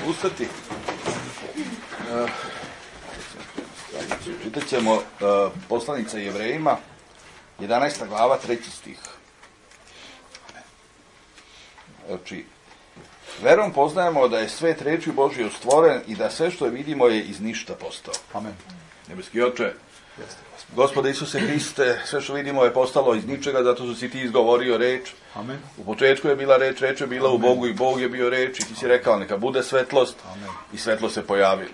ustati. Čitat ćemo poslanica Jevrejima, 11. glava, 3. stih. Znači, verom poznajemo da je svet reči Božje stvoren i da sve što vidimo je iz ništa postao. Amen. Nebeski Oče, Gospode Isuse Hriste, sve što vidimo je postalo iz ničega, zato što si ti izgovorio reč. Amen. U početku je bila reč, reč je bila u Bogu i Bog je bio reč i ti si rekao neka bude svetlost. Amen. I svetlo se pojavilo.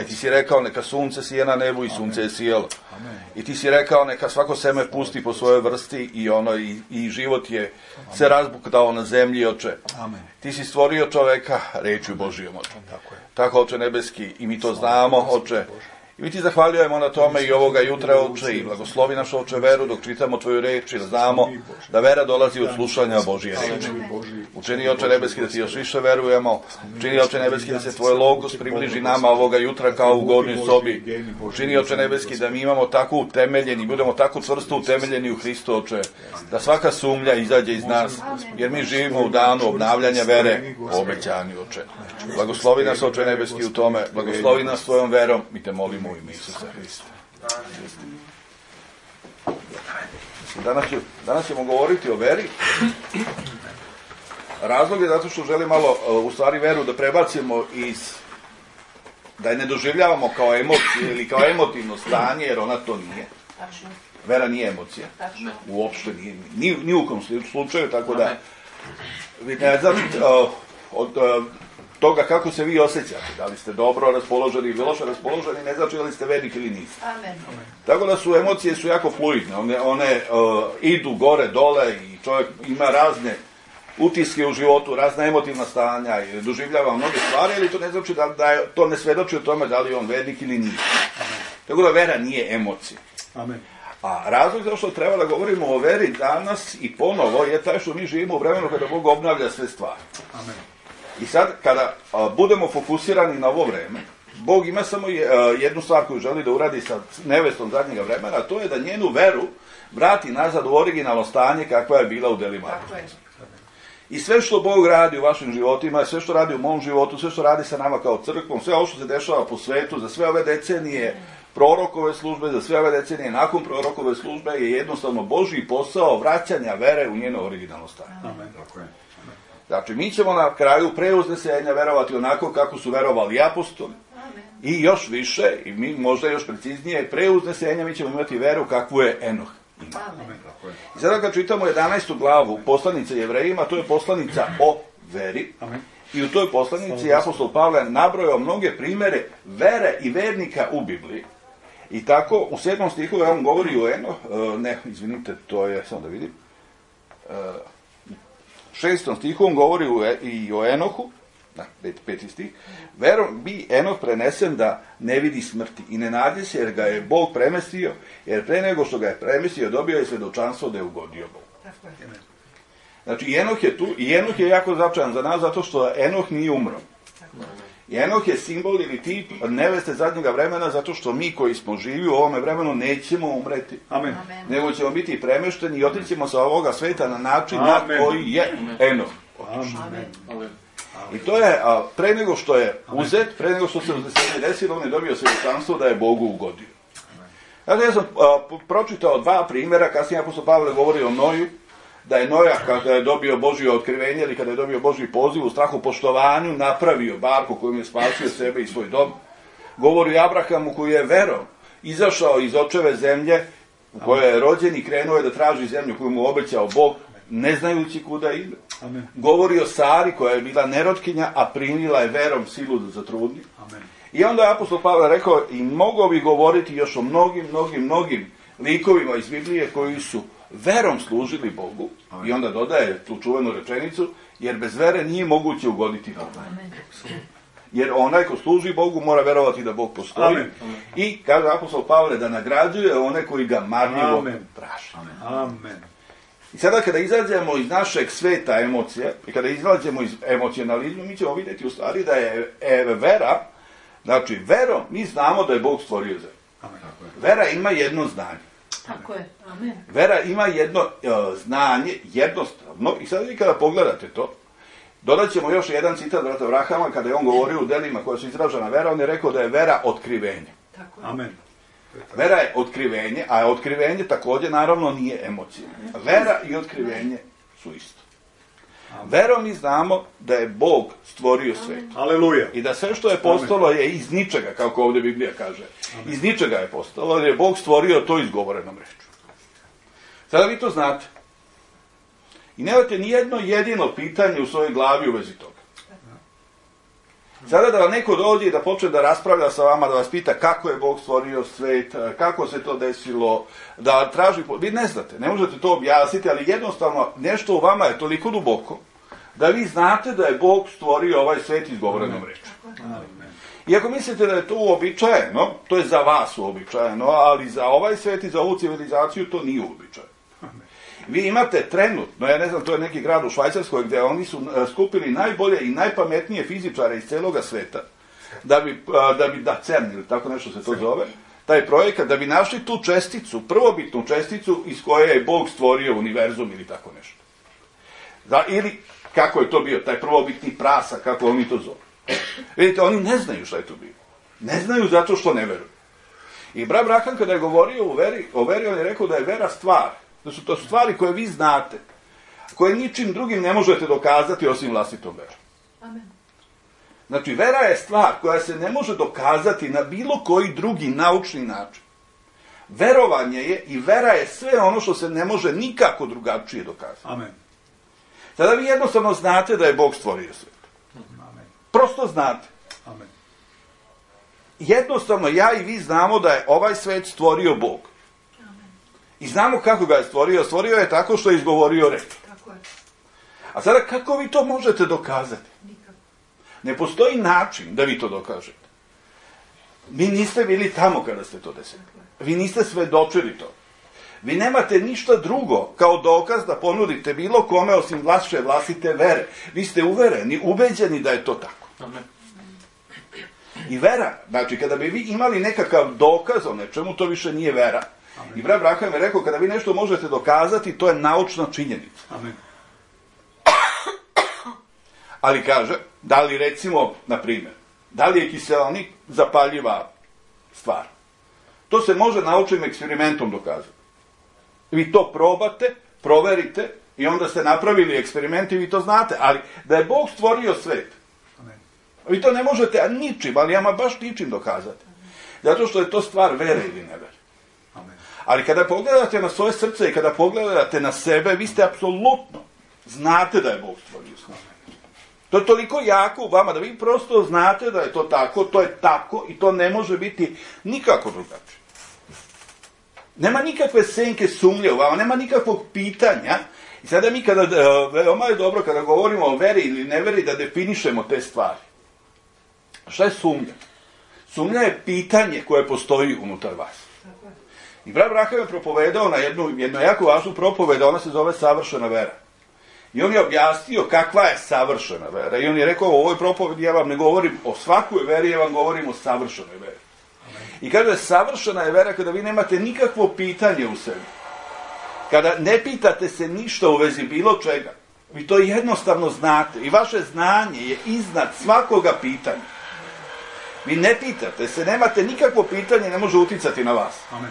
I ti si rekao neka sunce sije na nebu i sunce je sijelo. Amen. I ti si rekao neka svako seme pusti po svojoj vrsti i život je se razbuktao na zemlji, Oče. Amen. Ti si stvorio čoveka rečju Božijom, Oče. Tako je. Tako, Oče nebeski, i mi to znamo, Oče. I mi ti zahvaljujemo na tome i ovoga jutra, Oče, i blagoslovi našu, Oče, veru dok čitamo tvoju reč i da znamo da vera dolazi od slušanja Božije reči. Učini, Oče nebeski, da ti još više verujemo. Učini, Oče nebeski, da se tvoj logos približi nama ovoga jutra kao u gornjoj sobi. Učini, Oče nebeski, da mi imamo tako utemeljeni, budemo tako čvrsto utemeljeni u Hristu, Oče, da svaka sumnja izađe iz nas, jer mi živimo u danu obnavljanja vere o obećanju, Oče. Blagoslovi nas, Oče nebeski, u tome. Blagoslovi nas tvojom verom. Mi te molimo u ime Isusa Hrista. Danas ćemo govoriti o veri. Razlog je zato što želim malo, u stvari, veru da prebacimo da je ne doživljavamo kao emociju ili kao emotivno stanje, jer ona to nije. Vera nije emocija. Uopšte nije. Ni u kom slučaju, tako da vi ne znači od toga kako se vi osjećate, da li ste dobro raspoloženi ili loše raspoloženi, ne znači da li ste vernik ili niste. Amen. Tako da su emocije jako fluidne, one idu gore, dole i čovjek ima razne utiske u životu, razna emotivna stanja i doživljava mnoge stvari, ali to ne znači to ne svedoči o tome da li je on vernik ili nije. Tako da vera nije emocija. Amen. A razlog zašto treba da govorimo o veri danas i ponovo je taj što mi živimo u vremenu kada Bog obnavlja sve stvari. Amen. I sad, kada budemo fokusirani na ovo vreme, Bog ima samo jednu stvar koju želi da uradi sa nevestom zadnjega vremena, a to je da njenu veru vrati nazad u originalno stanje kakva je bila u delima. I sve što Bog radi u vašim životima, sve što radi u mom životu, sve što radi sa nama kao crkvom, sve ovo što se dešava po svetu, za sve ove decenije prorokove službe, za sve ove decenije nakon prorokove službe je jednostavno Božji posao vraćanja vere u njeno originalno stanje. Amen. Tako je. Znači, mi ćemo na kraju pre uznesenja verovati onako kako su verovali apostoli. I još više, i mi možda još preciznije, pre uznesenja mi ćemo imati veru kakvu je Enoh imao. I sada kad čitamo 11. glavu poslanice Jevrejima, to je poslanica o veri. Amen. I u toj poslanici apostol Pavle nabrojao mnoge primere vere i vernika u Bibliji. I tako, u 7. stihu on govori o Enoh, to je, samo da vidim, 6. stihu on govori i o Enohu, 5. stih, verom bi Enoh prenesen da ne vidi smrti i ne nađe se jer ga je Bog premestio, jer pre nego što ga je premestio dobio je svedočanstvo da je ugodio Bogu. Znači, i Enoh je tu, i Enoh je jako značajan za nas zato što Enoh nije umro. I Enoh je simbol ili tip neveste zadnjega vremena zato što mi koji smo živi u ovome vremenu nećemo umreti. Amen. Nego ćemo biti premešteni i otićemo sa ovoga sveta na način na koji je Enoh. Amen. I to je, pre nego što je uzet, pre nego što se uznesenje desilo, on je dobio svjedočanstvo da je Bogu ugodio. Znači, ja sam pročitao 2 primjera, kasnije apostol Pavle govori o Noju, da je Noja kada je dobio Božje otkrivenje ili kada je dobio Božji poziv u strahu poštovanju napravio barku kojim je spasio sebe i svoj dom. Govori o Abrahamu koji je verom izašao iz očeve zemlje u kojoj je rođen i krenuo je da traži zemlju koju mu obećao Bog, ne znajući kuda ide. Amen. Govori o Sari koja je bila nerotkinja, a primila je verom silu da zatrudni. Amen. I onda je apostol Pavle rekao i mogao bi govoriti još o mnogim likovima iz Biblije koji su verom služili Bogu. Amen. I onda dodaje tu čuvenu rečenicu, jer bez vere nije moguće ugoditi Bogu. Amen. Jer onaj ko služi Bogu mora verovati da Bog postoji. Amen. I kaže apostol Pavle da nagrađuje one koji ga marljivo traže. Amen. I sada kada izađemo iz našeg sveta emocije i kada izađemo iz emocionalizma, mi ćemo vidjeti u stvari da je vera, znači verom mi znamo da je Bog stvorio zemlju. Vera ima jedno znanje. Tako je. Amen. Vera ima jedno znanje, jednostavno, i sada vi kada pogledate to, Dodat ćemo još jedan citat brata Abrahama, kada je on govorio u delima koja su izražena vera, on je rekao da je vera otkrivenje. Amen. Vera je otkrivenje, a otkrivenje također naravno nije emocija. Vera i otkrivenje su isto. Verom mi znamo da je Bog stvorio svet. Aleluja. I da sve što je postalo je iz ničega, kako ovdje Biblija kaže. Iz ničega je postalo, jer je Bog stvorio to izgovorenom rečju. Sada vi to znate. I nemate ni jedno jedino pitanje u svojoj glavi u vezi toga. Sada da vam neko dođe i da počne da raspravlja sa vama, da vas pita kako je Bog stvorio svet, kako se to desilo, da traži... Vi ne znate, ne možete to objasniti, ali jednostavno nešto u vama je toliko duboko da vi znate da je Bog stvorio ovaj svet izgovorenom rečju. I ako mislite da je to uobičajeno, to je za vas uobičajeno, ali za ovaj svet i za ovu civilizaciju to nije uobičajeno. Vi imate trenutno, ja ne znam, to je neki grad u Švajcarskoj gdje oni su skupili najbolje i najpametnije fizičare iz celoga sveta, da CERN ili tako nešto se to zove, taj projekat, da bi našli tu česticu, prvobitnu česticu iz koje je Bog stvorio univerzum ili tako nešto. Ili, kako je to bio, taj prvobitni prasak, kako oni to zove. Vidite, oni ne znaju šta je to bilo. Ne znaju zato što ne veruju. I brat Abraham kada je govorio o veri, on je rekao da je vera stvar. Da su to stvari koje vi znate, koje ničim drugim ne možete dokazati osim vlastitom verom. Amen. Znači, vera je stvar koja se ne može dokazati na bilo koji drugi naučni način. Verovanje je i vera je sve ono što se ne može nikako drugačije dokazati. Amen. Sada vi jednostavno znate da je Bog stvorio svijet. Amen. Prosto znate. Amen. Jednostavno, ja i vi znamo da je ovaj svet stvorio Bog. I znamo kako ga je stvorio. Stvorio je tako što je izgovorio reč. Tako je. A sada kako vi to možete dokazati? Nikako. Ne postoji način da vi to dokažete. Vi niste bili tamo kada ste to desili. Vi niste svedočili to. Vi nemate ništa drugo kao dokaz da ponudite bilo kome osim vaše vlastite vere. Vi ste uvereni, ubeđeni da je to tako. Amen. I vera, znači kada bi vi imali nekakav dokaz o nečemu, to više nije vera. I brat Abraham je rekao, kada vi nešto možete dokazati, to je naučna činjenica. Amen. Ali kaže, da li recimo, na primjer, da li je kiseonik zapaljiva stvar? To se može naučnim eksperimentom dokazati. Vi to probate, proverite i onda ste napravili eksperiment i vi to znate. Ali da je Bog stvorio svet, Amen. vi to ne možete ničim, ali ama baš ničim dokazati. Zato što je to stvar vere ili nevere. Ali kada pogledate na svoje srce i kada pogledate na sebe, vi ste apsolutno znate da je Bog stvorio svet. To je toliko jako u vama da vi prosto znate da je tako i to ne može biti nikako drugačije. Nema nikakve senke sumnje u vama, nema nikakvog pitanja. I sada mi veoma je dobro kada govorimo o veri ili neveri da definišemo te stvari. Šta je sumnja? Sumnja je pitanje koje postoji unutar vas. I brat Abraham je propovedao na jednu jako važnu propoved, ona se zove savršena vera. I on je objasnio kakva je savršena vera. I on je rekao, u ovoj propovedi ja vam ne govorim o svakoj veri, ja vam govorim o savršenoj veri. I kaže, savršena je vera kada vi nemate nikakvo pitanje u sebi. Kada ne pitate se ništa u vezi bilo čega. Vi to jednostavno znate. I vaše znanje je iznad svakoga pitanja. Vi ne pitate se, nemate nikakvo pitanje, ne može uticati na vas. Amen.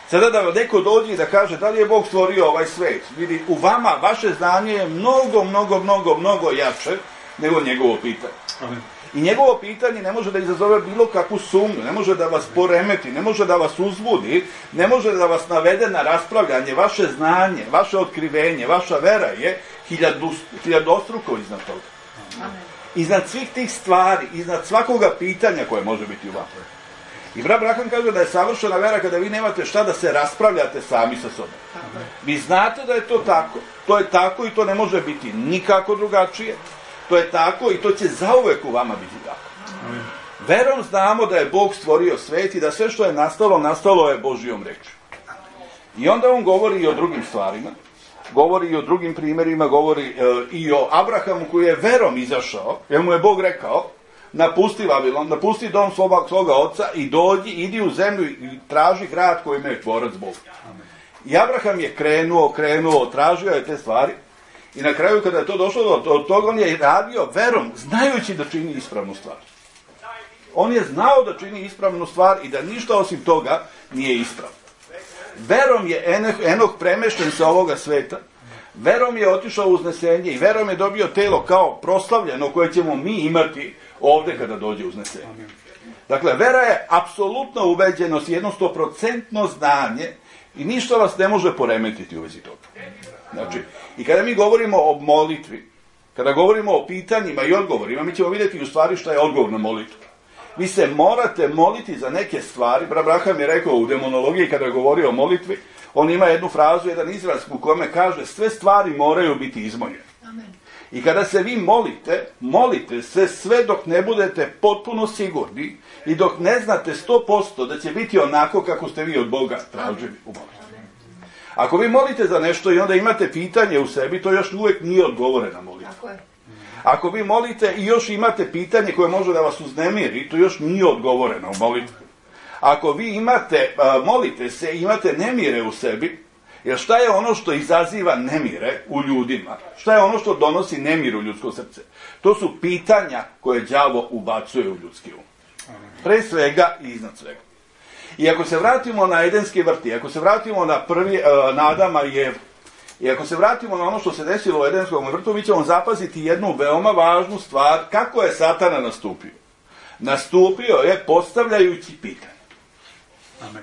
Sada da vam neko dođe i da kaže da li je Bog stvorio ovaj svet. Vidi, u vama vaše znanje je mnogo jače nego njegovo pitanje. Amen. I njegovo pitanje ne može da izazove bilo kakvu sumnju, ne može da vas poremeti, ne može da vas uzbudi, ne može da vas navede na raspravljanje. Vaše znanje, vaše otkrivenje, vaša vera je hiljadostruko iznad toga. Amen. Iznad svih tih stvari, iznad svakoga pitanja koje može biti u vama. I brat Abraham kaže da je savršena vera kada vi nemate šta da se raspravljate sami sa sobom. Vi znate da je to tako. To je tako i to ne može biti nikako drugačije. To je tako i to će zauvek u vama biti tako. Amen. Verom znamo da je Bog stvorio svet i da sve što je nastalo, nastalo je Božjom rečju. I onda on govori i o drugim stvarima. Govori i o drugim primjerima, govori i o Abrahamu koji je verom izašao, jer mu je Bog rekao, napusti Vavilon, napusti dom svoga oca i dođi, idi u zemlju i traži grad kojim je tvorac Bog. I Abraham je krenuo, tražio je te stvari I na kraju kada je to došlo do toga, on je radio verom, znajući da čini ispravnu stvar. On je znao da čini ispravnu stvar i da ništa osim toga nije ispravno. Verom je Enoh premešten sa ovoga sveta, verom je otišao u uznesenje i verom je dobio telo kao proslavljeno koje ćemo mi imati ovde kada dođe uznesenje. Dakle, vera je apsolutna ubeđenost, jedno 100% znanje i ništa vas ne može poremetiti u vezi toga. Znači, i kada mi govorimo o molitvi, kada govorimo o pitanjima i odgovorima, mi ćemo vidjeti u stvari šta je odgovor na molitvu. Vi se morate moliti za neke stvari. Abraham je rekao u demonologiji kada je govorio o molitvi, on ima jednu frazu, jedan izraz u kome kaže sve stvari moraju biti izmoljene. I kada se vi molite se sve dok ne budete potpuno sigurni i dok ne znate 100% da će biti onako kako ste vi od Boga tražili u molitvi. Ako vi molite za nešto i onda imate pitanje u sebi, to još uvijek nije odgovorena molitva. Ako vi molite i još imate pitanje koje može da vas uznemiri, to još nije odgovoreno u molitvi. Ako vi molite se i imate nemire u sebi, jer šta je ono što izaziva nemire u ljudima? Šta je ono što donosi nemir u ljudsko srce? To su pitanja koje đavo ubacuje u ljudski um. Pre svega i iznad svega. I ako se vratimo na Edenski vrt, ako se vratimo na Adama i Evu, i ako se vratimo na ono što se desilo u Edenskom vrtu, mi ćemo zapaziti jednu veoma važnu stvar, kako je Satana nastupio. Nastupio je postavljajući pitanje.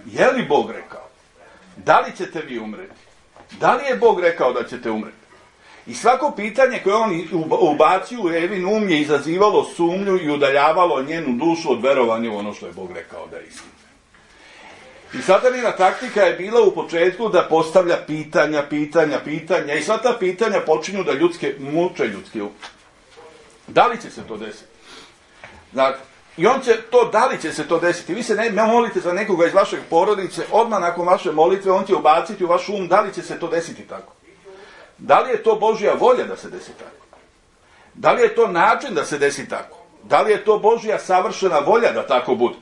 Je li Bog rekao? Da li ćete vi umreti? Da li je Bog rekao da ćete umreti? I svako pitanje koje on ubacio u Evin um je izazivalo sumnju i udaljavalo njenu dušu od verovanja u ono što je Bog rekao da je istina. I satanina taktika je bila u početku da postavlja pitanja i sva ta pitanja počinju da muče ljudski um. Da li će se to desiti? Znači, i on će to, da li će se to desiti? Vi se ne molite za nekoga iz vašeg porodice, odmah nakon vaše molitve on će ubaciti u vaš um da li će se to desiti tako. Da li je to Božja volja da se desi tako? Da li je to način da se desi tako? Da li je to Božja savršena volja da tako bude?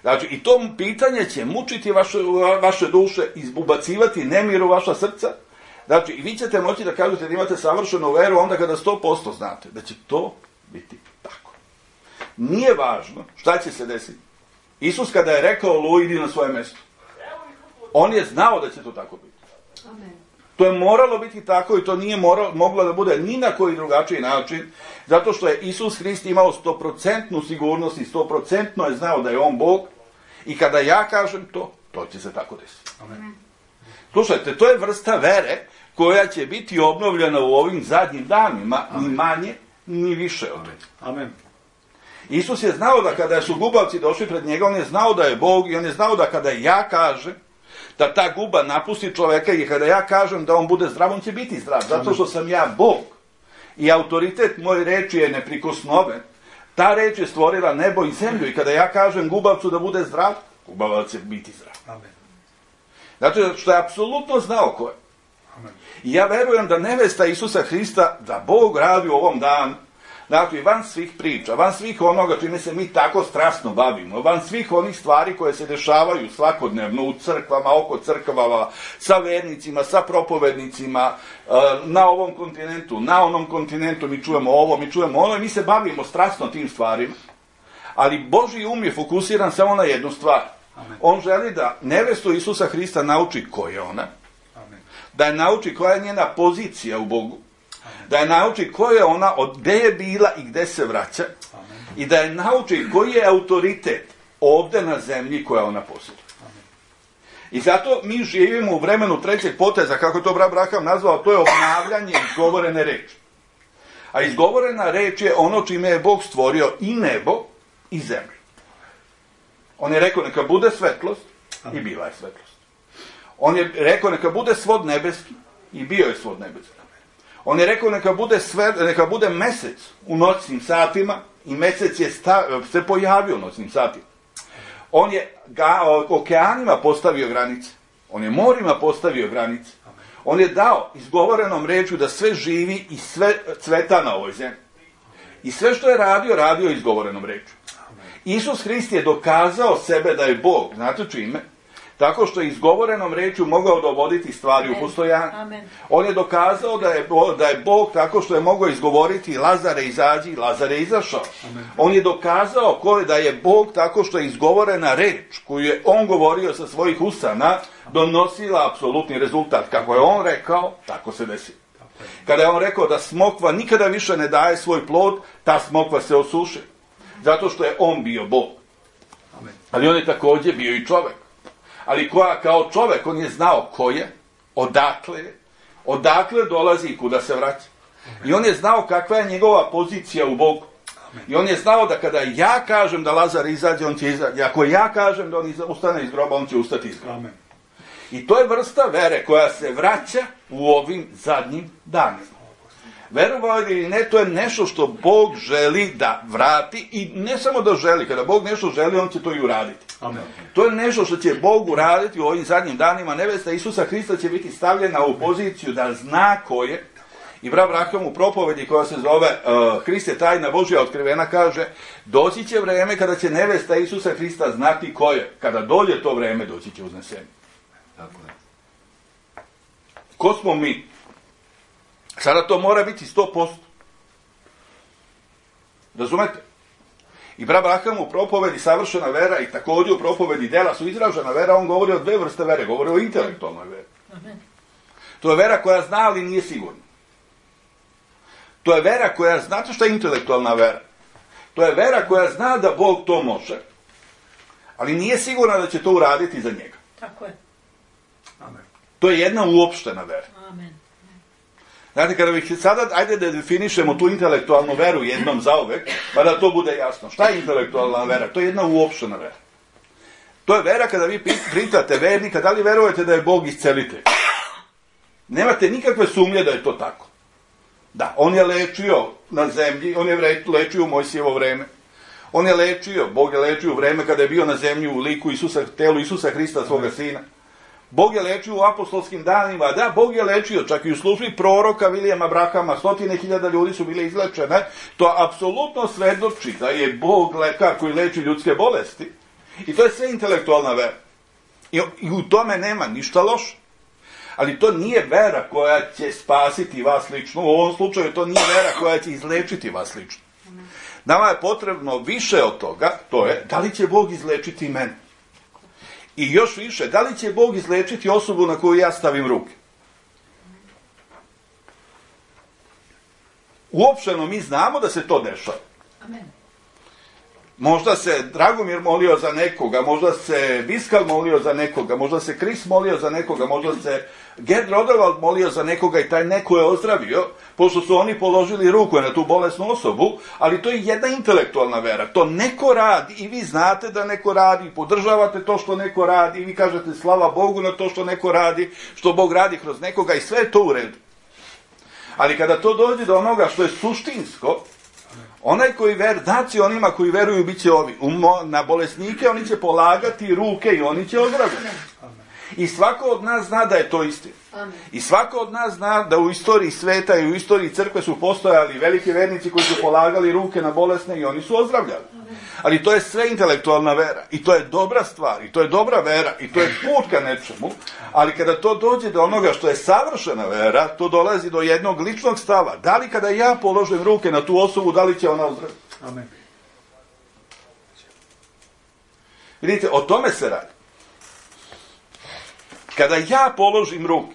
Znači, i to pitanje će mučiti vaše duše, ubacivati nemir u vaša srca. Znači, i vi ćete moći da kažete da imate savršenu veru onda kada 100% znate da će to biti tako. Nije važno šta će se desiti. Isus kada je rekao Luj, idi na svoje mesto, on je znao da će to tako biti. Amen. To je moralo biti tako i to nije moglo da bude ni na koji drugačiji način, zato što je Isus Hrist imao 100% sigurnost i 100% je znao da je on Bog i kada ja kažem to će se tako desiti. Amen. Slušajte, to je vrsta vere koja će biti obnovljena u ovim zadnjim danima, ni manje, ni više od toga. Amen. Isus je znao da kada su gubavci došli pred njega, on je znao da je Bog i on je znao da kada ja kažem da ta guba napusti čoveka i kada ja kažem da on bude zdrav, on će biti zdrav. Zato što sam ja Bog i autoritet moje reči je neprikosnoven. Ta reč je stvorila nebo i zemlju i kada ja kažem gubavcu da bude zdrav, gubavac će biti zdrav. Amen. Znači što je apsolutno znao ko je. Amen. I ja verujem da nevesta Isusa Hrista, da Bog radi u ovom danu, znači van svih priča, van svih onoga čime se mi tako strasno bavimo, van svih onih stvari koje se dešavaju svakodnevno u crkvama, oko crkvama, sa vernicima, sa propovednicima, na ovom kontinentu, na onom kontinentu, mi čujemo ovo, mi čujemo ono i mi se bavimo strasno tim stvarima, ali Božji um je fokusiran samo na jednu stvar. Amen. On želi da nevestu Isusa Hrista nauči ko je ona, amen, da je nauči koja je njena pozicija u Bogu, da je nauči ko je ona, gde je bila i gde se vraća. Amen. I da je nauči koji je autoritet ovde na zemlji koja ona posjeduje. I zato mi živimo u vremenu trećeg poteza, kako to Abraham nazvao, to je obnavljanje izgovorene reči. A izgovorena reč je ono čime je Bog stvorio i nebo i zemlju. On je rekao neka bude svetlost i bila je svetlost. On je rekao neka bude svod nebeski i bio je svod nebeski. On je rekao neka bude mesec u noćnim satima i mesec je se pojavio u noćnim satima. On je okeanima postavio granice. On je morima postavio granice. On je dao izgovorenom rečju da sve živi i sve cveta na ovoj zemlji. I sve što je radio izgovorenom rečju. Isus Hrist je dokazao sebe da je Bog. Znate čime? tako što je izgovorenom rečju mogao dovoditi stvari u postojanje. On je dokazao da je Bog tako što je mogao izgovoriti Lazare izađi i Lazare je izašao. On je dokazao da je Bog tako što je izgovorena reč koju je on govorio sa svojih usana donosila apsolutni rezultat. Kako je on rekao, tako se desi. Kada je on rekao da smokva nikada više ne daje svoj plod, ta smokva se osuši. Zato što je on bio Bog. Ali on je također bio i čovjek. Ali kao čovjek on je znao ko je, odakle dolazi i kuda se vraća. I on je znao kakva je njegova pozicija u Bogu. I on je znao da kada ja kažem da Lazar izađe, on će izaći. Ako ja kažem da on ustane iz groba, on će ustati iz groba. I to je vrsta vere koja se vraća u ovim zadnjim danima. Verovali ili ne, to je nešto što Bog želi da vrati i ne samo da želi, kada Bog nešto želi, on će to i uraditi. Amen. To je nešto što će Bog uraditi u ovim zadnjim danima. Nevesta Isusa Hrista će biti stavljena u poziciju da zna ko je. I brat Branham u propovedi koja se zove Hrist je tajna Božja otkrivena kaže doći će vreme kada će nevesta Isusa Hrista znati ko je. Kada dođe to vreme, doći će uznesenje. Tako je. Ko smo mi? Sada to mora biti 100%. Razumete? I brat Branham u propovedi savršena vera i također u propovedi dela su izražena vera, on govori o dve vrste vere, govori o intelektualnoj veri. To je vera koja zna, ali nije sigurna. To je vera koja, znate šta je intelektualna vera? To je vera koja zna da Bog to može, ali nije sigurna da će to uraditi za njega. Tako je. Amen. To je jedna uopštena vera. Amen. Znate, kada bih sada, ajde da definišemo tu intelektualnu veru jednom zauvek, pa da to bude jasno. Šta je intelektualna vera? To je jedna uopštena vera. To je vera kada vi pitate vernika, da li verujete da je Bog iscelitelj? Nemate nikakve sumnje da je to tako. Da, on je lečio na zemlji, on je lečio u Mojsijevo vreme. On je lečio, Bog je lečio u vreme kada je bio na zemlji u liku telu Isusa Hrista, svoga sina. Bog je lečio u apostolskim danima, da, Bog je lečio čak i u službi proroka Vilijama Brahama, 100.000 ljudi su bile izlečene, to apsolutno svedoči da je Bog lekar koji leči ljudske bolesti. I to je sve intelektualna vera. I u tome nema ništa loše. Ali to nije vera koja će spasiti vas lično, u ovom slučaju to nije vera koja će izlečiti vas lično. Nama je potrebno više od toga, to je, da li će Bog izlečiti mene? I još više, da li će Bog izlečiti osobu na koju ja stavim ruke? Uopšteno mi znamo da se to dešava. Amen. Možda se Dragomir molio za nekoga, možda se Viskal molio za nekoga, možda se Kris molio za nekoga, možda se Gerd Rodevald molio za nekoga i taj neko je ozdravio, pošto su oni položili ruku na tu bolesnu osobu, ali to je jedna intelektualna vera. To neko radi i vi znate da neko radi, podržavate to što neko radi i vi kažete slava Bogu na to što neko radi, što Bog radi kroz nekoga i sve je to u redu. Ali kada to dođe do onoga što je suštinsko, onaj koji znači onima koji veruju bit će ovi. Na bolesnike oni će polagati ruke i oni će ozdraviti. I svako od nas zna da je to istina. I svako od nas zna da u istoriji sveta i u istoriji crkve su postojali veliki vernici koji su polagali ruke na bolesne i oni su ozdravljali. Ali to je sve intelektualna vera. I to je dobra stvar. I to je dobra vera. I to je put ka nečemu. Ali kada to dođe do onoga što je savršena vera, to dolazi do jednog ličnog stava. Da li kada ja položim ruke na tu osobu, da li će ona ozdraviti? Amen. Vidite, o tome se radi. Kada ja položim ruke,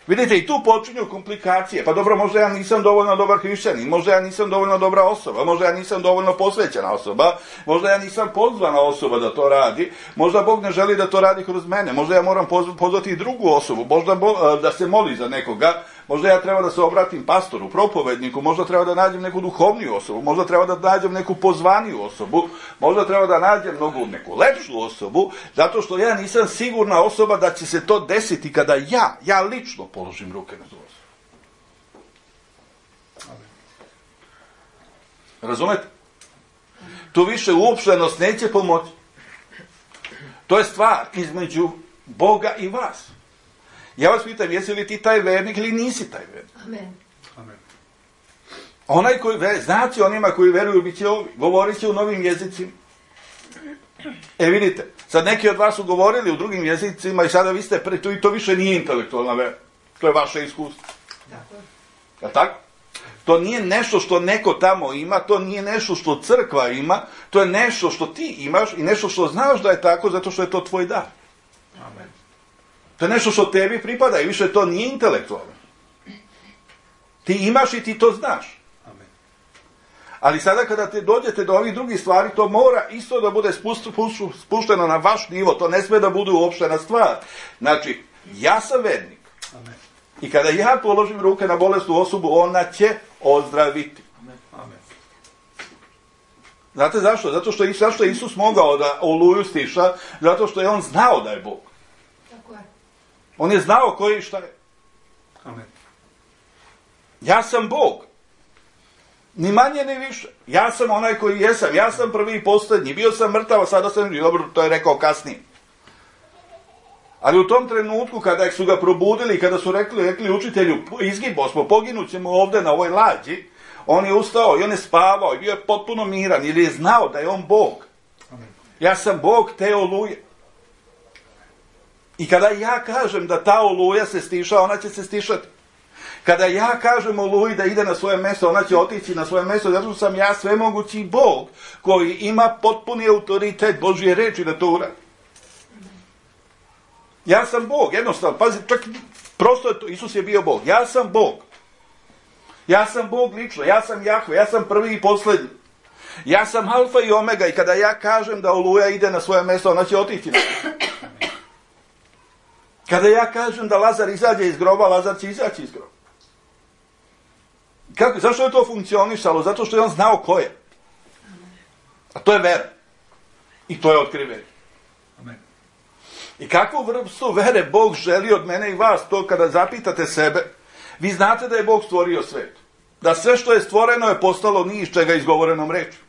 vidite, i tu počinju komplikacije. Pa dobro, možda ja nisam dovoljno dobar hrišćanin, možda ja nisam dovoljno dobra osoba, možda ja nisam dovoljno posvećena osoba, možda ja nisam pozvana osoba da to radi, možda Bog ne želi da to radi kroz mene, možda ja moram pozvati i drugu osobu, možda da se moli za nekoga, možda ja treba da se obratim pastoru, propovedniku, možda treba da nađem neku duhovniju osobu, možda treba da nađem neku pozvaniju osobu, možda treba da nađem neku lepšu osobu, zato što ja nisam sigurna osoba da će se to desiti kada ja lično položim ruke na tu osobu. Razumete? Tu više uopštenost neće pomoći. To je stvar između Boga i vas. Ja vas pitam, jesi li ti taj vernik ili nisi taj vernik? Amen. Amen. Onaj koji znači onima koji veruju bit će ovi, govorit će u novim jezicima. Vidite, sad neki od vas su govorili u drugim jezicima i sada vi ste i to više nije intelektualna vera. To je vaše iskustvo. Je li tako? To nije nešto što neko tamo ima, to nije nešto što crkva ima, to je nešto što ti imaš i nešto što znaš da je tako zato što je to tvoj dar. Amen. To je nešto što tebi pripada i više to nije intelektualno. Ti imaš i ti to znaš. Amen. Ali sada kada te dođete do ovih drugih stvari, to mora isto da bude spušteno na vaš nivo, to ne sme da bude uopštena stvar. Znači, ja sam vernik. Amen. I kada ja položim ruke na bolesnu osobu, ona će ozdraviti. Amen. Znate zašto? Zašto je Isus mogao da oluju stiša? Zato što je on znao da je Bog. Tako je. On je znao koji i šta je. Amen. Ja sam Bog. Ni manje ni više. Ja sam onaj koji jesam. Ja sam prvi i posljednji. Bio sam mrtav, a sada sam živ. Dobro, to je rekao kasnije. Ali u tom trenutku kada su ga probudili, kada su rekli učitelju, izgibo smo, poginut ćemo ovdje na ovoj lađi, on je ustao i on je spavao i bio je potpuno miran, jer je znao da je on Bog. Amen. Ja sam Bog te oluje. I kada ja kažem da ta oluja se stiša, ona će se stišati. Kada ja kažem oluji da ide na svoje mjesto, ona će otići na svoje mjesto, zato što sam ja svemogući Bog koji ima potpuni autoritet Božje reči da to uradi. Ja sam Bog, jednostavno, pazi, čak prosto je to, Isus je bio Bog. Ja sam Bog. Ja sam Bog lično, ja sam Jahve, ja sam prvi i posljednji. Ja sam alfa i omega i kada ja kažem da oluja ide na svoje mjesto, ona će otići. Kada ja kažem da Lazar izađe iz groba, Lazar će izaći iz groba. Zašto je to funkcionisalo? Zato što je on znao ko je. A to je vera. I to je otkrivenje. Amen. I kakvu vrstu vere Bog želi od mene i vas, to kada zapitate sebe, vi znate da je Bog stvorio svet. Da sve što je stvoreno je postalo ni iz čega izgovorenom rečju.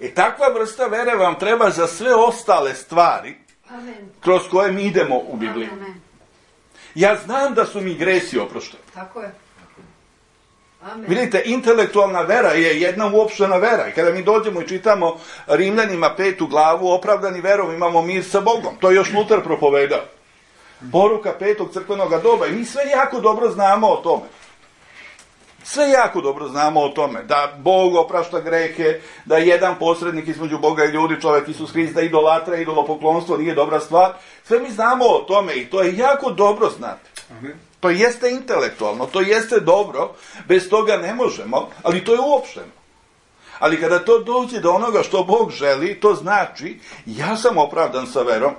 I takva vrsta vere vam treba za sve ostale stvari kroz koje mi idemo u Bibliji. Ja znam da su mi gresi oprošteni. Tako je. Amen. Vidite, intelektualna vera je jedna uopštena vera. I kada mi dođemo i čitamo Rimljanima 5. glavu, opravdani verom imamo mir sa Bogom. To je još Luter propovedao. Poruka 5. crkvenog doba. I mi sve jako dobro znamo o tome. Sve jako dobro znamo o tome. Da Bog oprašta grehe, da je jedan posrednik između Boga i ljudi, čovjek Isus Hrist, da idolatra, idolopoklonstvo nije dobra stvar. Sve mi znamo o tome i to je jako dobro znati. Amen. To jeste intelektualno, to jeste dobro, bez toga ne možemo, ali to je uopšteno. Ali kada to dođe do onoga što Bog želi, to znači, ja sam opravdan sa verom,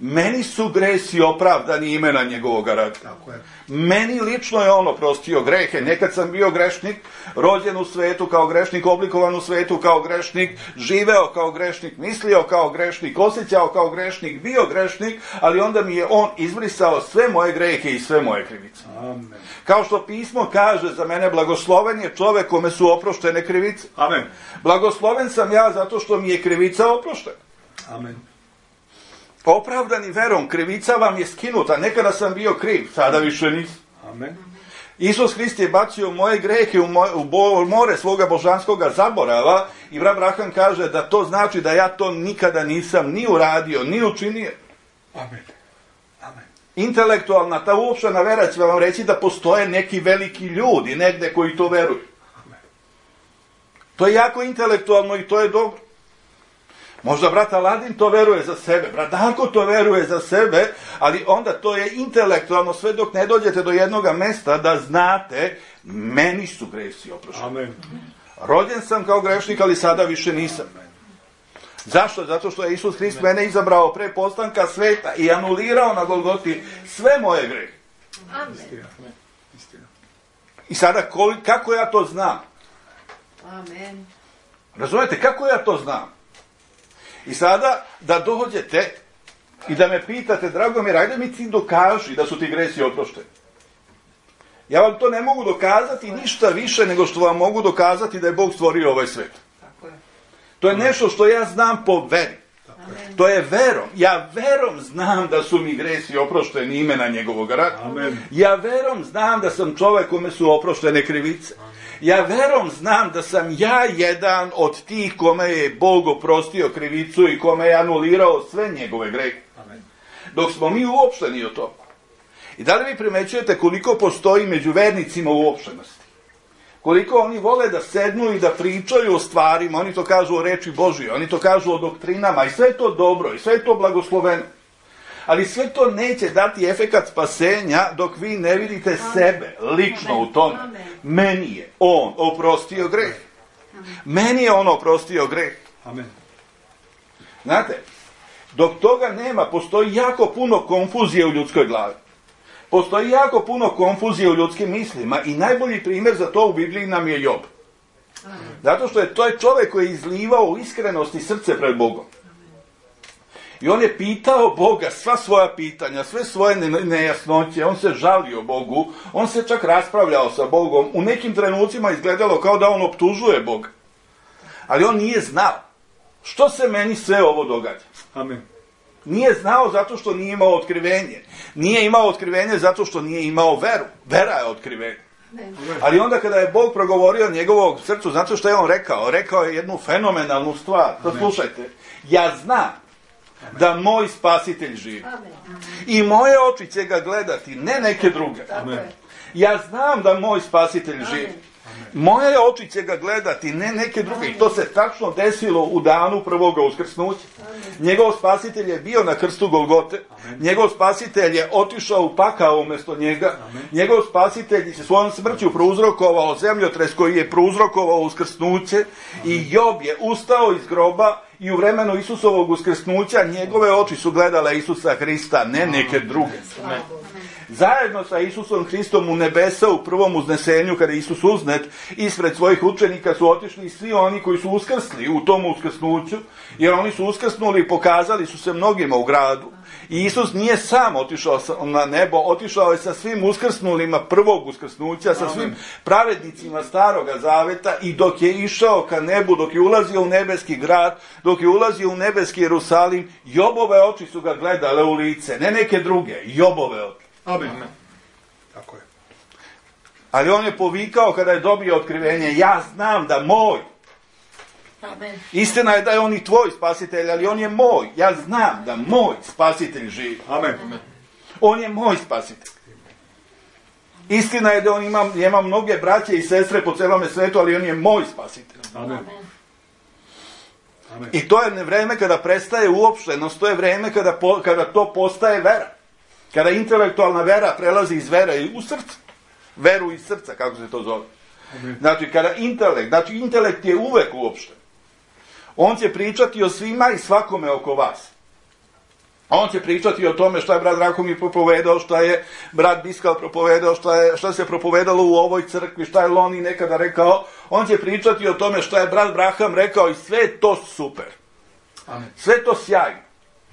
meni su gresi opravdani imena njegovog rada. Tako je. Meni lično je on oprostio grehe. Nekad sam bio grešnik, rođen u svetu kao grešnik, oblikovan u svetu kao grešnik, živeo kao grešnik, mislio kao grešnik, osjećao kao grešnik, bio grešnik, ali onda mi je on izbrisao sve moje grehe i sve moje krivice. Amen. Kao što pismo kaže za mene, blagosloven je čovjek kome su oproštene krivice. Amen. Blagosloven sam ja zato što mi je krivica oproštena. Amen. Opravdani verom, krivica vam je skinuta. Nekada sam bio kriv, sada više nisam. Amen. Isus Hrist je bacio moje grehe u more svoga božanskoga zaborava i brat Braham kaže da to znači da ja to nikada nisam ni uradio, ni učinio. Amen. Amen. Intelektualna, ta uopštena vera će vam reći da postoje neki veliki ljudi negde koji to veruju. Amen. To je jako intelektualno i to je dobro. Možda brat Aladin to veruje za sebe, brat Darko to veruje za sebe, ali onda to je intelektualno sve dok ne dođete do jednoga mesta da znate, meni su gresi oprošteni. Amen. Rođen sam kao grešnik, ali sada više nisam. Zašto? Zato što je Isus Hrist mene izabrao pre postanka sveta i anulirao na Golgoti sve moje grehe. Amen. Istina. I sada kako ja to znam? Amen. Razumete, kako ja to znam? I sada da dođete i da me pitate, Dragomir, ajde mi ti dokaži da su ti gresi oprošteni. Ja vam to ne mogu dokazati ništa više nego što vam mogu dokazati da je Bog stvorio ovaj svet. Tako je. To je nešto što ja znam po veri. Amen. To je verom. Ja verom znam da su mi gresi oprošteni imena njegovog rada. Amen. Ja verom znam da sam čovjek kome su oproštene krivice. Ja verom znam da sam ja jedan od tih kome je Bog oprostio krivicu i kome je anulirao sve njegove grehe. Amen. Dok smo mi uopšteni o tome. I da li vi primećujete koliko postoji među vernicima uopštenosti? Koliko oni vole da sednu i da pričaju o stvarima, oni to kažu o reči Božjoj, oni to kažu o doktrinama i sve je to dobro i sve je to blagosloveno. Ali sve to neće dati efekat spasenja dok vi ne vidite sebe lično u tome. Meni je on oprostio greh. Meni je on oprostio greh. Amen. Znate, dok toga nema, postoji jako puno konfuzije u ljudskoj glavi. Postoji jako puno konfuzije u ljudskim mislima i najbolji primjer za to u Bibliji nam je Job. Zato što je to čovjek koji je izlivao u iskrenosti srce pred Bogom. I on je pitao Boga sva svoja pitanja, sve svoje nejasnoće, on se žalio Bogu, on se čak raspravljao sa Bogom. U nekim trenucima izgledalo kao da on optužuje Boga. Ali on nije znao što se meni sve ovo događa. Amen. Nije znao zato što nije imao otkrivenje. Nije imao otkrivenje zato što nije imao veru. Vera je otkrivenje. Ali onda kada je Bog progovorio njegovog srcu, znate što je on rekao? Rekao je jednu fenomenalnu stvar. Da slušajte, ja znam da moj spasitelj živi. I moje oči će ga gledati, ne neke druge. Amen. Ja znam da moj spasitelj živi. Moje oči će ga gledati, ne neke druge. I to se tačno desilo u danu prvoga uskrsnuća. Njegov spasitelj je bio na krstu Golgote. Njegov spasitelj je otišao u pakao umjesto njega. Njegov spasitelj je svojom smrću prouzrokovao zemljotres koji je prouzrokovao uskrsnuće. I Job je ustao iz groba i u vremenu Isusovog uskrsnuća njegove oči su gledale Isusa Hrista, ne neke druge. Zajedno sa Isusom Hristom u nebesa u prvom uznesenju, kada je Isus uznet, ispred svojih učenika su otišli i svi oni koji su uskrsli u tom uskrsnuću, jer oni su uskrsnuli i pokazali su se mnogima u gradu. I Isus nije sam otišao na nebo, otišao je sa svim uskrsnulima prvog uskrsnuća, sa svim pravednicima Staroga Zaveta i dok je išao ka nebu, dok je ulazio u nebeski grad, dok je ulazio u nebeski Jerusalim, Jobove oči su ga gledale u lice, ne neke druge, Jobove oči. Amen. Tako je. Ali on je povikao kada je dobio otkrivenje, ja znam da moj. Amen. Istina je da je on i tvoj spasitelj, ali on je moj. Ja znam da moj spasitelj živi. Amen. On je moj spasitelj. Istina je da on ima mnoge braće i sestre po celome svetu, ali on je moj spasitelj. Amen. Amen. I to je vreme kada prestaje uopštenost, to je vreme kada to postaje vera. Kada intelektualna vera prelazi iz vere u srce. Veru iz srca, kako se to zove. Znači, intelekt je uvek uopšten. On će pričati o svima i svakome oko vas. On će pričati o tome šta je brat Rahomir propovedao, šta je brat Biskal propovedao, šta se propovedalo u ovoj crkvi, šta je Loni nekada rekao. On će pričati o tome šta je brat Braham rekao i sve je to super. Amen. Sve je to sjajno.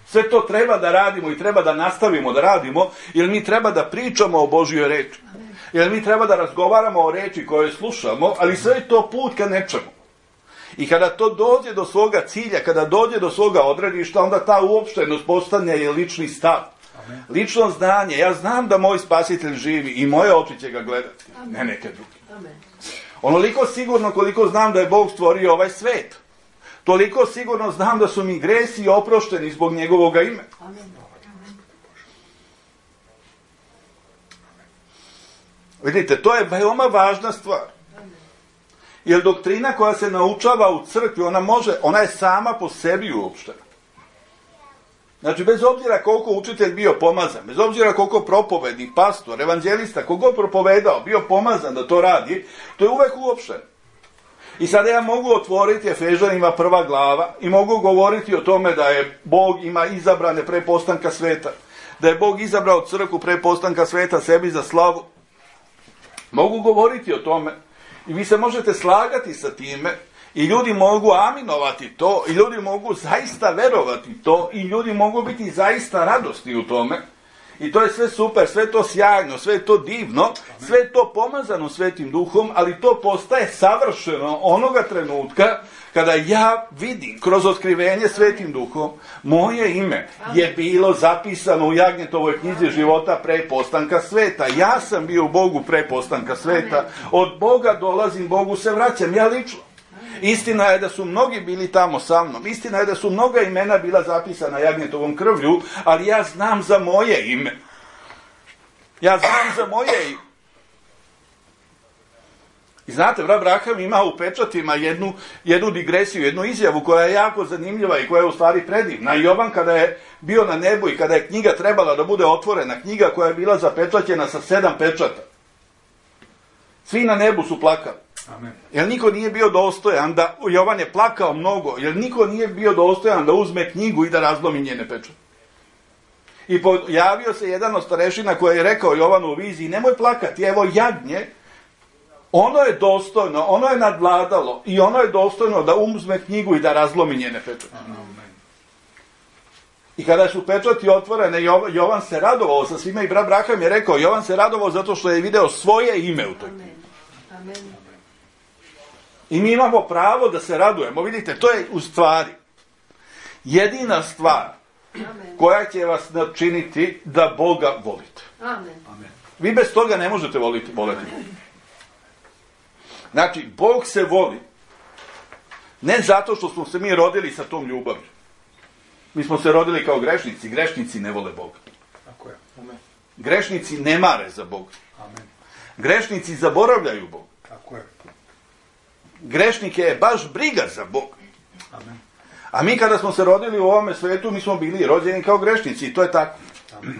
Sve to treba da radimo i treba da nastavimo da radimo, jer mi treba da pričamo o Božjoj reči. Jer mi treba da razgovaramo o reči koje slušamo, ali sve je to put ka nečemu. I kada to dođe do svoga cilja, kada dođe do svoga odredišta, onda ta uopštenost postane je lični stav. Amen. Lično znanje. Ja znam da moj spasitelj živi i moje oči će ga gledati, ne neke druge. Amen. Onoliko sigurno koliko znam da je Bog stvorio ovaj svet. Toliko sigurno znam da su mi gresi oprošteni zbog njegovoga imena. Amen. Vidite, to je veoma važna stvar. Jer doktrina koja se naučava u crkvi, ona je sama po sebi uopštena. Znači, bez obzira koliko učitelj bio pomazan, bez obzira koliko propovednik, pastor, evanđelista, koliko propovedao, bio pomazan da to radi, to je uvek uopšteno. I sada ja mogu otvoriti Efežanima 1. glava i mogu govoriti o tome da je Bog ima izabrane pre postanka sveta. Da je Bog izabrao crkvu pre postanka sveta sebi za slavu. Mogu govoriti o tome i vi se možete slagati sa time i ljudi mogu aminovati to i ljudi mogu zaista verovati to i ljudi mogu biti zaista radosni u tome I to je sve super, sve to sjajno, sve to divno, sve to pomazano Svetim Duhom, ali to postaje savršeno onoga trenutka kada ja vidim kroz otkrivenje Svetim Duhom, moje ime je bilo zapisano u Jagnjetovoj knjizi života pre postanka sveta. Ja sam bio u Bogu pre postanka sveta. Od Boga dolazim, Bogu se vraćam, ja lično. Istina je da su mnogi bili tamo sa mnom. Istina je da su mnoga imena bila zapisana Jagnjetovom krvlju, ali ja znam za moje ime. Ja znam za moje ime. I znate, brat Braham ima u pečatima jednu digresiju, jednu izjavu koja je jako zanimljiva i koja je u stvari predivna. Jovan kada je bio na nebu i kada je knjiga trebala da bude otvorena, knjiga koja je bila zapečaćena sa 7 pečata. Svi na nebu su plakali. Amen. Jer niko nije bio dostojan da, Jovan je plakao mnogo, jer niko nije bio dostojan da uzme knjigu i da razlomi njene pečate. I pojavio se jedan od starešina koji je rekao Jovanu u viziji, nemoj plakati, evo jagnje, ono je dostojno, ono je nadvladalo i ono je dostojno da uzme knjigu i da razlomi njene pečate. I kada su pečati otvorene, Jovan se radovao sa svima i brat Braham je rekao, Jovan se radovao zato što je video svoje ime u toj knjizi. Amen. I mi imamo pravo da se radujemo. Vidite, to je u stvari jedina stvar koja će vas načiniti da Boga volite. Amen. Vi bez toga ne možete voliti Boga. Znači, Bog se voli ne zato što smo se mi rodili sa tom ljubavlju. Mi smo se rodili kao grešnici. Grešnici ne vole Boga. Tako je. Amen. Grešnici ne mare za Boga. Amen. Grešnici zaboravljaju Boga. Tako je. Grešnike je baš briga za Boga. Amen. A mi kada smo se rodili u ovome svetu, mi smo bili rođeni kao grešnici i to je tako. Amen.